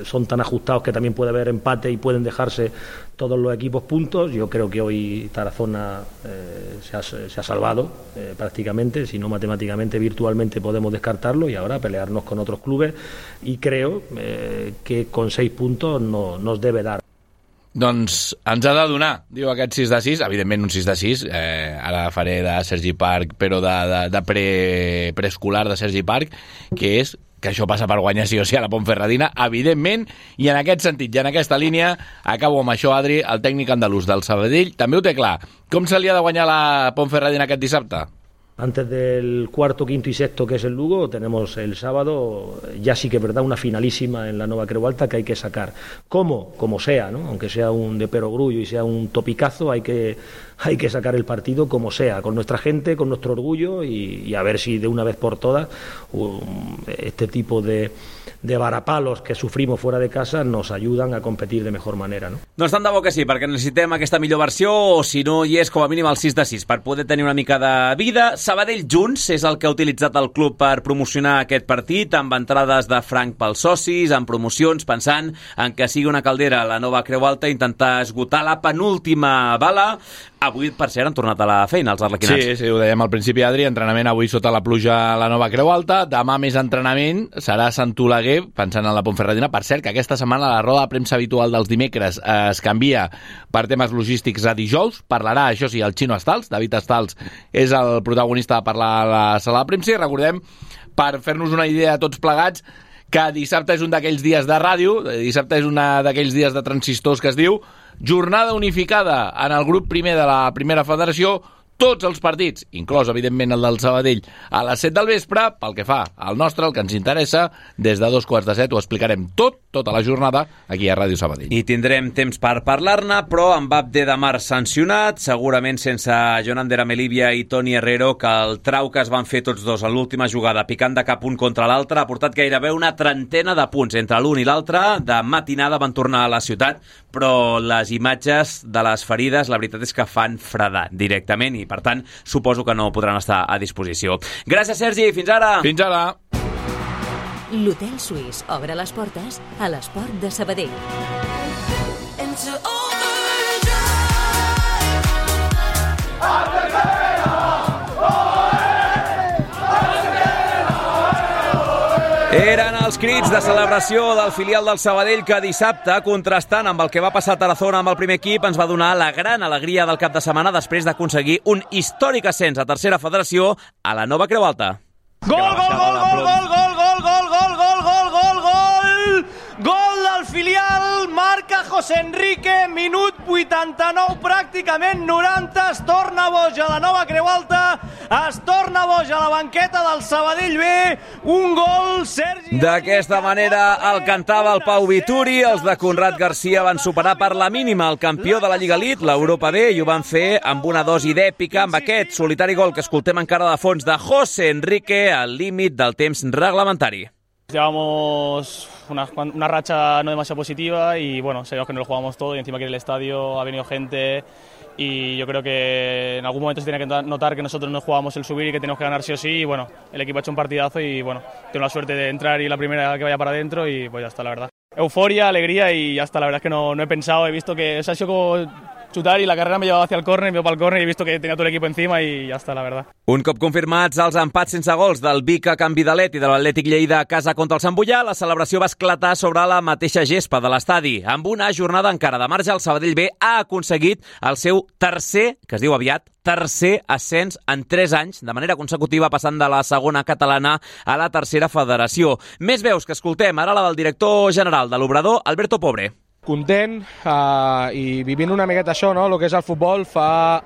son tan ajustados que también puede haber empate y pueden dejarse todos los equipos puntos. Yo creo que hoy Tarazona se ha salvado prácticamente, si no matemáticamente, virtualmente podemos descartarlo y ahora pelearnos con otros clubes y creo que con 6 puntos nos debe dar. Doncs ens ha de donar, diu, aquest 6 de 6, evidentment un 6 de 6, ara faré de Sergi Parc, però de preescolar de Sergi Parc, que és que això passa per guanyar sí o sí a la Ponferradina, evidentment, i en aquest sentit, i en aquesta línia, acabo amb això, Adri, el tècnic andalús del Sabadell, també ho té clar. Com se li ha de guanyar la Ponferradina aquest dissabte? Antes del cuarto, quinto y sexto, que es el Lugo, tenemos el sábado, ya sí que es verdad, una finalísima en la Nova Creu Alta que hay que sacar. ¿Cómo? Como sea, ¿no? Aunque sea un de perogrullo y sea un topicazo, hay que sacar el partido como sea, con nuestra gente, con nuestro orgullo y a ver si de una vez por todas este tipo de varapalos que sufrimos fuera de casa nos ayudan a competir de mejor manera, ¿no? Doncs tant de bo que sí, perquè necessitem aquesta millor versió, o si no hi és com a mínim el 6 de 6 per poder tenir una mica de vida. Sabadell Junts és el que ha utilitzat el club per promocionar aquest partit, amb entrades de franc pels socis, amb promocions, pensant en que sigui una caldera la nova Creu Alta, intentar esgotar la penúltima bala. Avui, per cert, han tornat a la feina els arlequinats. Sí, ho dèiem al principi, Adri, entrenament avui sota la pluja a la nova Creu Alta, demà més entrenament, serà Sant Oleguer, pensant en la Pontferradina. Per cert, que aquesta setmana la roda de premsa habitual dels dimecres es canvia per temes logístics a dijous. Parlarà, això sí, el Xino Estals. David Estals és el protagonista de parlar a la sala de premsa. I recordem, per fer-nos una idea tots plegats, que dissabte és un d'aquells dies de ràdio, dissabte és un d'aquells dies de transistors que es diu jornada unificada en el grup primer de la primera federació, tots els partits, inclòs, evidentment, el del Sabadell, a les 7 del vespre, pel que fa al nostre, el que ens interessa, des de 2:45 ho explicarem tota la jornada, aquí a Ràdio Sabadell. I tindrem temps per parlar-ne, però amb Abde de Mar sancionat, segurament sense Jonander Amelivia i Toni Herrero, que el trau que es van fer tots dos a l'última jugada, picant de cap un contra l'altre, ha portat gairebé una trentena de punts entre l'un i l'altre. De matinada van tornar a la ciutat, però les imatges de les ferides, la veritat és que fan fredar directament, i per tant suposo que no podran estar a disposició. Gràcies, Sergi, fins ara! Fins ara! L'Hotel Suís obre les portes a l'esport de Sabadell. Eren els crits de celebració del filial del Sabadell que dissabte, contrastant amb el que va passar a Tarazona amb el primer equip, ens va donar la gran alegria del cap de setmana després d'aconseguir un històric ascens a tercera federació a la nova Creu Alta. Gol, gol, gol, gol, gol, gol, gol, gol, gol, gol, gol, gol, gol! Gol del filial, marca José Enrique, minut 89, pràcticament 90, es torna boig a la nova Creu Alta, es torna boig a la banqueta del Sabadell B, un gol, Sergi... D'aquesta manera el cantava el Pau Vituri, els de Conrad Garcia van superar per la mínima el campió de la Lliga Elite, l'Europa B, i ho van fer amb una dosi d'èpica, amb aquest solitari gol que escoltem encara de fons de José Enrique al límit del temps reglamentari. Llevamos una racha no demasiado positiva y bueno, sabíamos que no lo jugábamos todo y encima que en el estadio ha venido gente y yo creo que en algún momento se tiene que notar que nosotros no jugábamos el subir y que tenemos que ganar sí o sí y bueno, el equipo ha hecho un partidazo y bueno, tengo la suerte de entrar y la primera que vaya para adentro y pues ya está, la verdad. Euforia, alegría y ya está, la verdad es que no he pensado, he visto que se ha sido como chutar y la carrera me llevaba hacia el córner, me iba para el córner y he visto que tenía todo el equipo encima y ya está, la verdad. Un cop confirmats els empats sense gols del Vic a Can Vidalet i de l'Atlètic Lleida a casa contra el Sant Boià, la celebració va esclatar sobre la mateixa gespa de l'estadi. Amb una jornada encara de marge, el Sabadell B ha aconseguit el seu tercer, que es diu aviat, tercer ascens en 3 anys, de manera consecutiva, passant de la segona catalana a la tercera federació. Més veus que escoltem, ara la del director general de l'Obrador, Alberto Pobre. Content i vivint una miqueta això, no? El que és el futbol. Fa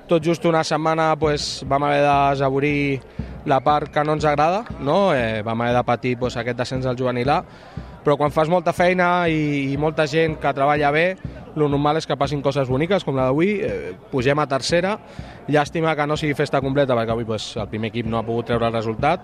tot just una setmana vam haver de desaborir la part que no ens agrada, no? Vam haver de patir aquest descens al juvenil A, però quan fas molta feina i molta gent que treballa bé, el normal és que passin coses boniques com la d'avui, pugem a tercera, llàstima que no sigui festa completa perquè avui el primer equip no ha pogut treure el resultat,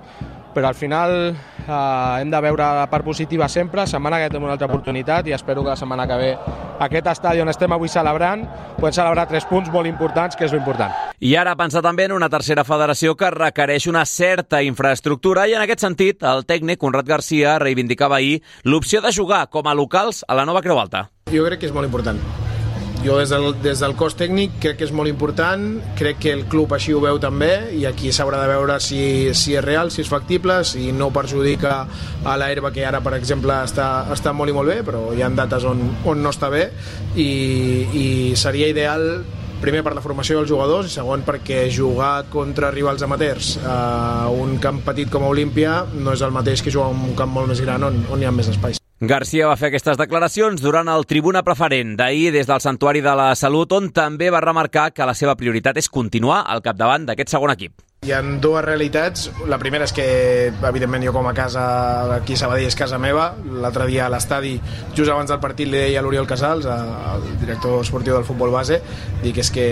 però al final hem de veure la part positiva sempre, setmana que tenim una altra oportunitat i espero que la setmana que ve aquest estadi on estem avui celebrant, podem celebrar 3 punts molt importants, que és l'important. I ara pensar també en una tercera federació que requereix una certa infraestructura i en aquest sentit el tècnic Conrad Garcia reivindicava ahir l'opció de jugar com a locals a la nova Creu Alta. Jo crec que és molt important. Jo des del cos tècnic crec que és molt important, crec que el club així ho veu també i aquí s'haurà de veure si és real, si és factible, si no perjudica a l'herba que ara, per exemple, està molt i molt bé, però hi ha dates on no està bé i seria ideal primer per la formació dels jugadors i segon perquè jugar contra rivals amateurs a un camp petit com a Olímpia no és el mateix que jugar en un camp molt més gran on hi ha més espais. Garcia va fer aquestes declaracions durant el Tribuna Preferent d'ahir des del Santuari de la Salut, on també va remarcar que la seva prioritat és continuar al capdavant d'aquest segon equip. Hi ha dues realitats. La primera és que, evidentment, jo com a casa, aquí a Sabadell és casa meva. L'altre dia a l'estadi, just abans del partit, li deia a l'Oriol Casals, el director esportiu del futbol base, dic és que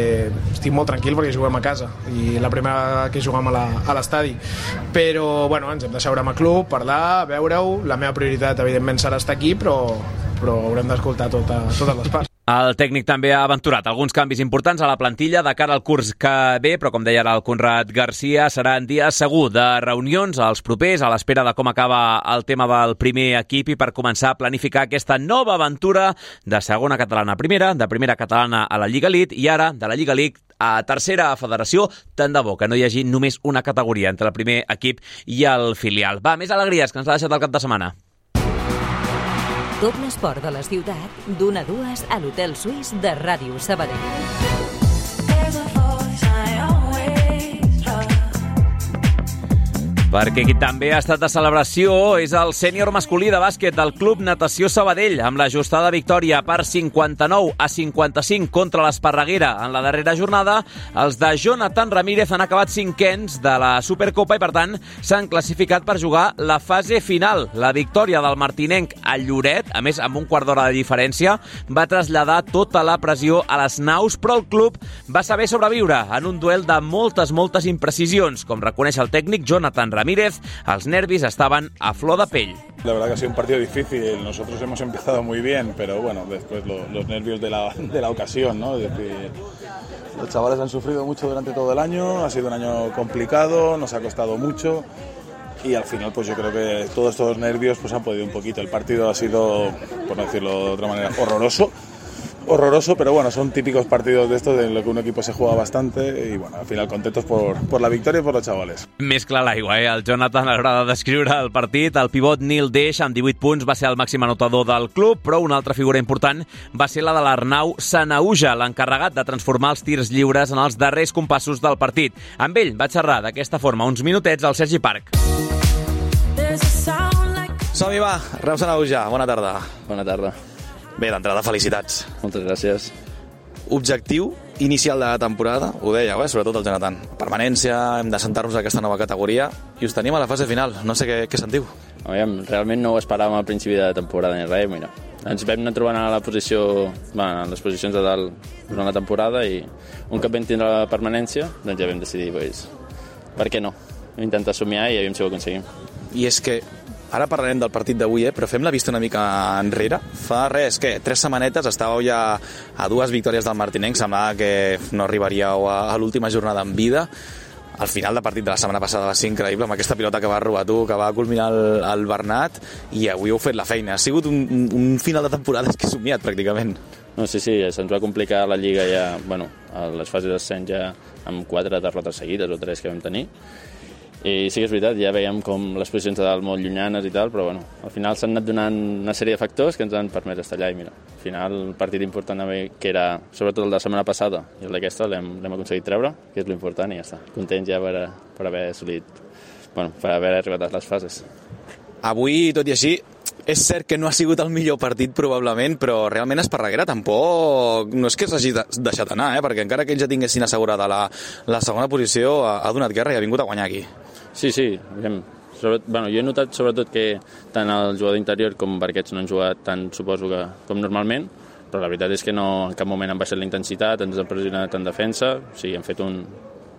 estic molt tranquil perquè juguem a casa i la primera que juguem a l'estadi. Però, bueno, ens hem de seure amb el club, parlar, veure-ho. La meva prioritat, evidentment, serà estar aquí, però haurem d'escoltar totes les parts. El tècnic també ha aventurat alguns canvis importants a la plantilla de cara al curs que ve, però com deia ara el Conrad Garcia, serà en dia segur de reunions als propers, a l'espera de com acaba el tema del primer equip i per començar a planificar aquesta nova aventura de segona catalana a primera, de primera catalana a la Lliga Elite i ara de la Lliga Elite a tercera federació, tant de bo que no hi hagi només una categoria entre el primer equip i el filial. Va, més alegries que ens l'ha deixat el cap de setmana. Tot l'esport de la ciutat, d'1 a 2 a l'Hotel Suís de Ràdio Sabadell. Perquè qui també ha estat de celebració és el sènior masculí de bàsquet del Club Natació Sabadell, amb l'ajustada victòria per 59 a 55 contra l'Esparreguera en la darrera jornada. Els de Jonathan Ramírez han acabat cinquens de la Supercopa i, per tant, s'han classificat per jugar la fase final. La victòria del martinenc a Lloret, a més amb un quart d'hora de diferència, va traslladar tota la pressió a les naus, però el club va saber sobreviure en un duel de moltes imprecisions. Com reconeix el tècnic Jonathan Ramírez, els nervis estaban a flor de pell. La verdad que ha sido un partido difícil. Nosotros hemos empezado muy bien, pero bueno, después los nervios de la ocasión, ¿no? Es decir, los chavales han sufrido mucho durante todo el año, ha sido un año complicado, nos ha costado mucho y al final pues yo creo que todos estos nervios pues han podido un poquito. El partido ha sido, por no decirlo de otra manera, horroroso, pero bueno, son típicos partidos de estos en los que un equipo se juega bastante y bueno, al final contentos por la victòria i per los chavales. Més clar l'aigua, El Jonathan agrada descriure el partit. El pivot Nil Deix, amb 18 punts, va ser el màxim anotador del club, però una altra figura important va ser la de l'Arnau Sanauja, l'encarregat de transformar els tirs lliures en els darrers compassos del partit. Amb ell va xerrar d'aquesta forma uns minutets al Sergi Parc. Som-hi, va, Arnau Sanauja, bona tarda. Bona tarda. Bé, d'entrada, felicitats. Moltes gràcies. Objectiu inicial de la temporada, ho dèieu, sobretot el Jonathan. Permanència, hem de sentar-nos a aquesta nova categoria i us tenim a la fase final. No sé què sentiu. Realment no ho esperàvem al principi de temporada ni res. Mira, ens vam anar trobant a la posició, en les posicions de dalt durant la temporada i un cop vam tindre la permanència, doncs ja vam decidir, per què no? Intentar somiar i aviam si ho aconseguim. I és que ara parlarem del partit d'avui, però fem la vista una mica enrere. Fa 3 setmanetes estàveu ja a 2 victòries del martinenc, semblava que no arribaríeu a l'última jornada en vida. Al final del partit de la setmana passada va ser increïble, amb aquesta pilota que va robar tu, que va culminar el Bernat, i avui heu fet la feina. Ha sigut un final de temporada que he somiat, pràcticament. No, sí, se'ns va complicar la Lliga ja, a les fases d'ascens ja amb 4 derrotes seguides o 3 que vam tenir. I sí que és veritat, ja veiem com les posicions de dalt molt llunyanes i tal, però al final s'han anat donant una sèrie de factors que ens han permès estar allà i mira, al final el partit important que era sobretot el de la setmana passada i el d'aquesta l'hem aconseguit treure, que és l'important i ja està, contents ja per haver assolit, per haver arribat a les fases. Avui, tot i així, és cert que no ha sigut el millor partit probablement, però realment Esparreguera tampoc no és que s'hagi deixat anar, perquè encara que ells ja tinguessin assegurada la segona posició ha donat guerra i ha vingut a guanyar aquí. Sí, jo he notat sobretot que tant el jugador interior com Barquets no han jugat tant, suposo que com normalment, però la veritat és que no, en cap moment han baixat la intensitat, ens han pressionat en defensa, o sigui, han fet un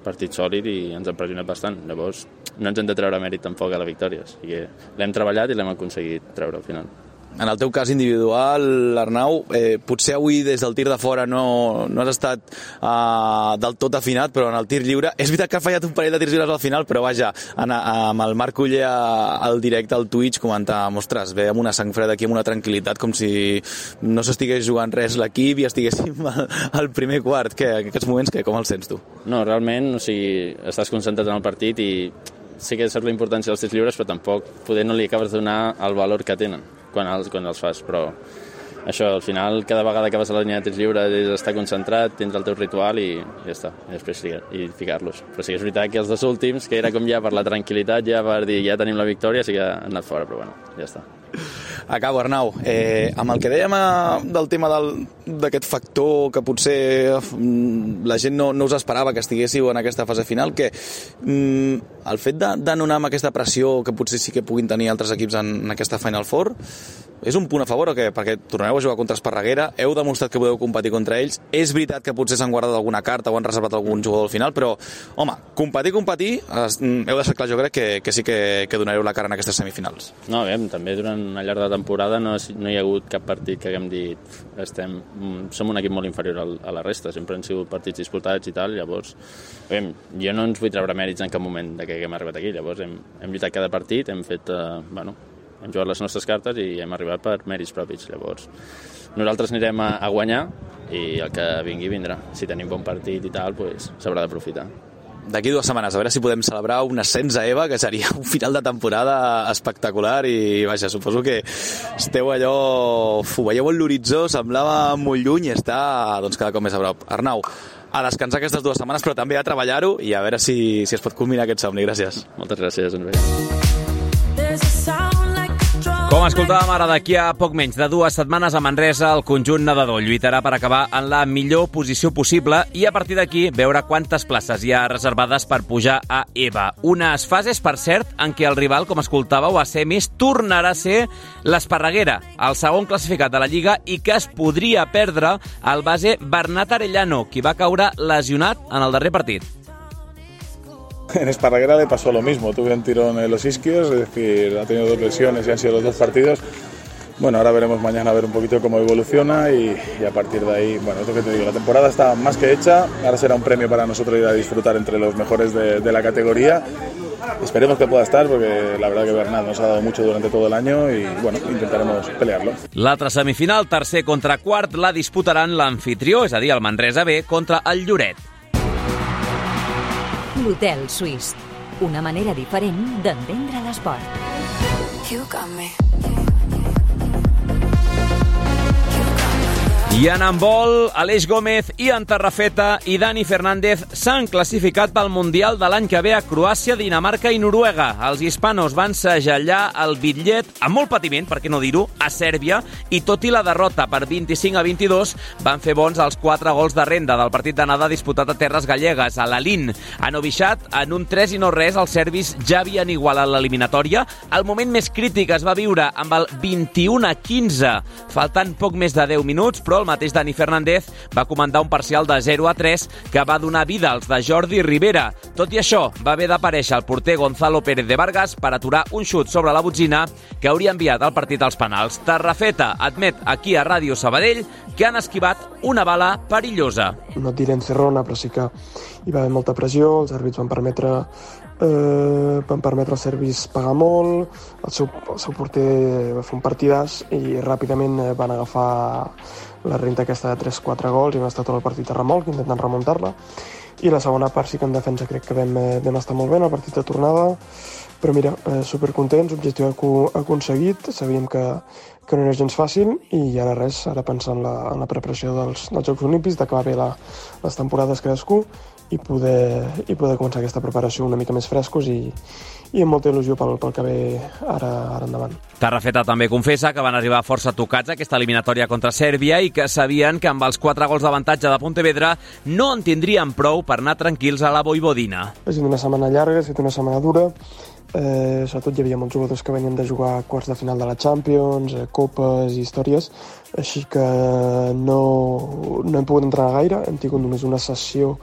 partit sòlid i ens han pressionat bastant. Llavors, no ens hem de treure mèrit tampoc a la victòria, o sigui, l'hem treballat i l'hem aconseguit treure al final. En el teu cas individual, Arnau, potser avui des del tir de fora no has estat del tot afinat, però en el tir lliure és veritat que ha fallat un parell de tirs lliures al final, però vaja, amb el Marc Uller al directe al Twitch comentàvem, ostres, ve amb una sang freda aquí, amb una tranquil·litat, com si no s'estigués jugant res l'equip i estiguéssim al primer quart. En aquests moments, com els sents tu? No, realment, estàs concentrat en el partit i sí que saps la importància dels tirs lliures, però tampoc poder no li acabes de donar el valor que tenen quan els fas, però això, al final, cada vegada que vas a la línia de tirs lliures és estar concentrat, tens el teu ritual i ja està, i després ficar-los. Però sí que és veritat que els 2 últims, que era com ja per la tranquil·litat, ja per dir ja tenim la victòria, sí que han anat fora, però ja està. Acabo, Arnau. Amb el que dèiem del tema d'aquest factor que potser la gent no us esperava que estiguéssiu en aquesta fase final, que el fet de no anar amb aquesta pressió que potser sí que puguin tenir altres equips en aquesta Final Four és un punt a favor o què? Perquè tornareu a jugar contra Esparreguera, heu demostrat que podeu competir contra ells, és veritat que potser s'han guardat alguna carta o han reservat algun jugador al final, però, home, competir, heu deixat clar, jo crec que sí que donareu la cara en aquestes semifinals. No, també durant una llarga temporada no hi ha hagut cap partit que haguem dit som un equip molt inferior a la resta, sempre han sigut partits disputats i tal, llavors jo no ens vull treure mèrits en cap moment de que haguem arribat aquí, llavors hem lluitat cada partit, hem fet, hem jugat les nostres cartes i hem arribat per mèrits propis. Llavors, nosaltres anirem a guanyar i el que vingui vindrà. Si tenim bon partit i tal, s'haurà d'aprofitar. D'aquí 2 setmanes, a veure si podem celebrar un ascens a EVA, que seria un final de temporada espectacular i, vaja, suposo que esteu allò... Ho veieu en l'horitzó, semblava molt lluny i està cada cop més a prop. Arnau, a descansar aquestes 2 setmanes, però també a treballar-ho i a veure si es pot culminar aquest somni. Gràcies. Moltes gràcies, ens veiem. Com escoltàvem ara, d'aquí a poc menys de 2 setmanes a Manresa, el conjunt nedador lluitarà per acabar en la millor posició possible i a partir d'aquí veure quantes places hi ha reservades per pujar a EVA. Unes fases, per cert, en què el rival, com escoltàveu, a semis, tornarà a ser l'Esparreguera, el segon classificat de la Lliga i que es podria perdre el base Bernat Arellano, qui va caure lesionat en el darrer partit. En Esparreguera le pasó lo mismo, tuve un tirón en los isquios, es decir, ha tenido 2 lesiones y han sido los 2 partidos. Bueno, ahora veremos mañana a ver un poquito cómo evoluciona y a partir de ahí, bueno, es lo que te digo, la temporada está más que hecha, ahora será un premio para nosotros ir a disfrutar entre los mejores de la categoría. Esperemos que pueda estar porque la verdad que Bernat nos ha dado mucho durante todo el año y bueno, intentaremos pelearlo. L'altra semifinal, tercer contra quart, la disputaran l'anfitrió, és a dir, el Manresa B contra el Lloret. L'Hotel Suís, una manera diferent d'entendre l'esport. You got me. I en handbol, Aleix Gómez, Ian Tarrafeta i Dani Fernández s'han classificat pel Mundial de l'any que ve a Croàcia, Dinamarca i Noruega. Els hispanos van segellar el bitllet, amb molt patiment, per què no dir-ho, a Sèrbia, i tot i la derrota per 25-22, van fer bons els 4 gols de renda del partit d'anada disputat a terres gallegues, a l'Alin. A Novi Sad, en un 3-0, els serbis ja havien igualat l'eliminatòria. El moment més crític es va viure amb el 21-15, faltant poc més de 10 minuts, però el mateix Dani Fernández va comandar un parcial de 0-3 que va donar vida als de Jordi Rivera. Tot i això, va haver d'aparèixer el porter Gonzalo Pérez de Vargas per aturar un xut sobre la botzina que hauria enviat el partit als penals. Tarrafeta admet aquí a Ràdio Sabadell que han esquivat una bala perillosa. No tiré encerrona, però sí que hi va haver molta pressió, els àrbits van permetre als serbis pagar molt, el seu porter va fer un partidàs i ràpidament van agafar la renta aquesta de 3-4 gols i vam estar tot el partit a remolc intentant remuntar-la, i la segona part sí que en defensa crec que vam estar molt bé en el partit de tornada, però mira, supercontents, objectiu aconseguit, sabíem que no era gens fàcil i ara res, ara pensar en la preparació dels Jocs Olímpics, d'acabar bé les temporades cadascú i poder començar aquesta preparació una mica més frescos i amb molta il·lusió pel que ve ara endavant. Tarrafeta també confessa que van arribar força tocats a aquesta eliminatòria contra Sèrbia i que sabien que amb els 4 gols d'avantatge de Pontevedra no en tindrien prou per anar tranquils a la Vojvodina. Ha estat una setmana llarga, ha estat una setmana dura, sobretot hi havia molts jugadors que venien de jugar quarts de final de la Champions, copes i històries, així que no hem pogut entrenar gaire, hem tingut només una sessió.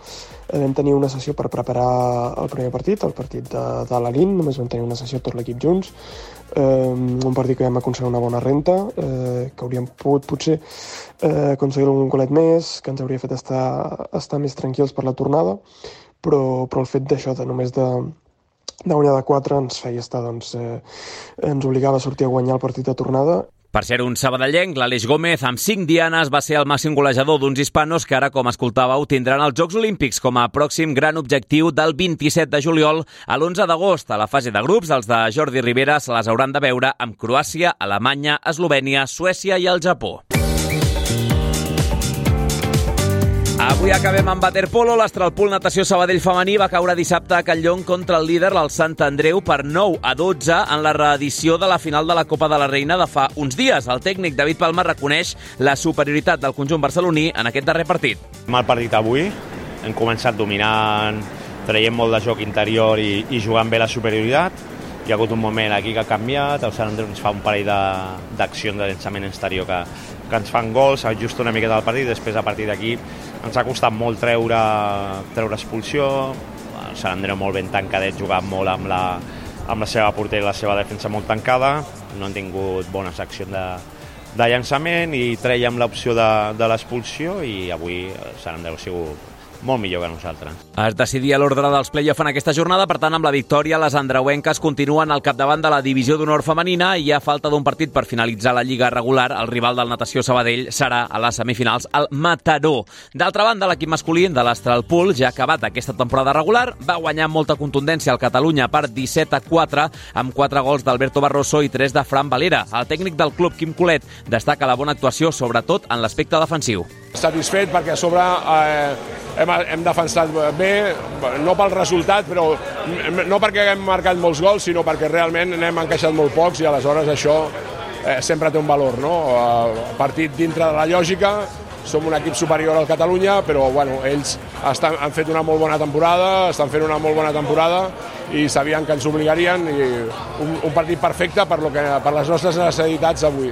Vam tenir una sessió per preparar el primer partit, el partit de l'Alin, només vam tenir una sessió tot l'equip junts, un partit que vam aconseguir una bona renta, que hauríem pogut potser aconseguir algun golet més, que ens hauria fet estar més tranquils per la tornada, però el fet d'això, de només de guanyar de 4 ens feia estar, ens obligava a sortir a guanyar el partit de tornada. Per ser un sabadellenc, l'Aleix Gómez, amb 5 dianes, va ser el màxim golejador d'uns hispanos que ara, com escoltàveu, tindran els Jocs Olímpics com a pròxim gran objectiu del 27 de juliol a l'11 d'agost. A la fase de grups, els de Jordi Rivera se les hauran de veure amb Croàcia, Alemanya, Eslovènia, Suècia i el Japó. Avui acabem amb waterpolo. L'Astralpool Natació Sabadell femení va caure dissabte a Catlllong contra el líder, el Sant Andreu, per 9-12 en la reedició de la final de la Copa de la Reina de fa uns dies. El tècnic David Palma reconeix la superioritat del conjunt barceloní en aquest darrer partit. Mal partit avui, hem començat dominant, traient molt de joc interior i jugant bé la superioritat. Hi ha hagut un moment aquí que ha canviat, el Sant Andreu ens fa un parell d'accions de llançament exterior que ens fan gols, s'ajusta una miqueta del partit, després a partir d'aquí ens ha costat molt treure expulsió, el Sant Andreu molt ben tancadet, jugant molt amb la seva portera i la seva defensa molt tancada, no han tingut bones accions de llançament i treiem l'opció de l'expulsió i avui el Sant Andreu ha sigut molt millor que nosaltres. Es decidia l'ordre dels play-off en aquesta jornada, per tant, amb la victòria, les andreuenques continuen al capdavant de la divisió d'honor femenina i a falta d'un partit per finalitzar la lliga regular, el rival del Natació Sabadell serà a les semifinals el Mataró. D'altra banda, l'equip masculí de l'Astralpool, ja acabat aquesta temporada regular, va guanyar amb molta contundència al Catalunya per 17-4, amb 4 gols d'Alberto Barroso i 3 de Fran Valera. El tècnic del club, Quim Colet, destaca la bona actuació, sobretot en l'aspecte defensiu. Satisfet perquè a sobre hem defensat bé, no pel resultat, però no perquè hem marcat molts gols, sinó perquè realment n'hem encaixat molt pocs i aleshores això sempre té un valor, no? Partit dintre de la lògica, som un equip superior al Catalunya, però bueno, ells han fet una molt bona temporada, estan fent una molt bona temporada i sabien que ens obligarien i un partit perfecte per les nostres necessitats avui.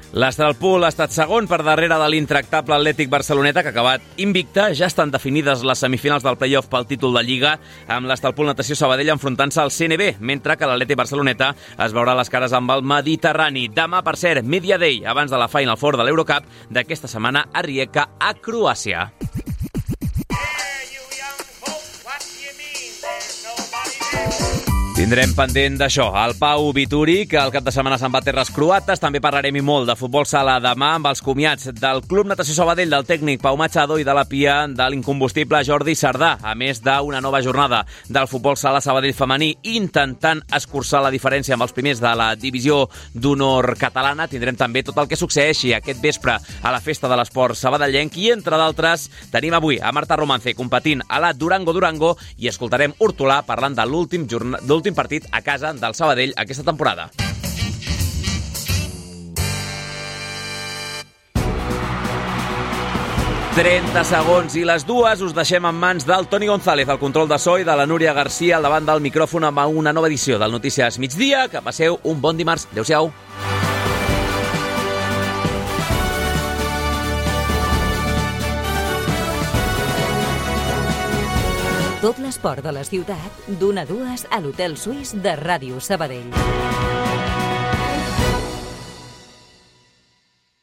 L'Astralpool ha estat segon per darrere de l'intractable Atlètic Barceloneta, que ha acabat invicta. Ja estan definides les semifinals del play-off pel títol de Lliga, amb l'Astralpool Natació Sabadell enfrontant-se al CNB, mentre que l'Atlètic Barceloneta es veurà les cares amb el Mediterrani. Demà, per cert, Media Day, abans de la Final Four de l'Eurocup d'aquesta setmana a Rijeka, a Croàcia. Tindrem pendent d'això el Pau Vituri, que el cap de setmana se'n va a terres croates. També parlarem i molt de futbol sala demà amb els comiats del Club Natació Sabadell, del tècnic Pau Machado i de la pia de l'incombustible Jordi Sardà, a més d'una nova jornada del futbol sala Sabadell femení intentant escurçar la diferència amb els primers de la divisió d'honor catalana. Tindrem també tot el que succeeixi aquest vespre a la festa de l'esport sabadellenc i, entre d'altres, tenim avui a Marta Romance competint a la Durango i escoltarem Hortolà parlant de l'últim partit a casa del Sabadell aquesta temporada. «30 segons i les dues». Us deixem en mans del Toni González, al control de so, i de la Núria Garcia al davant del micròfon amb una nova edició del Notícies Migdia. Que passeu un bon dimarts. Adéu-siau. Tot l'esport de la ciutat, d'1 a 2 a l'Hotel Suís de Ràdio Sabadell.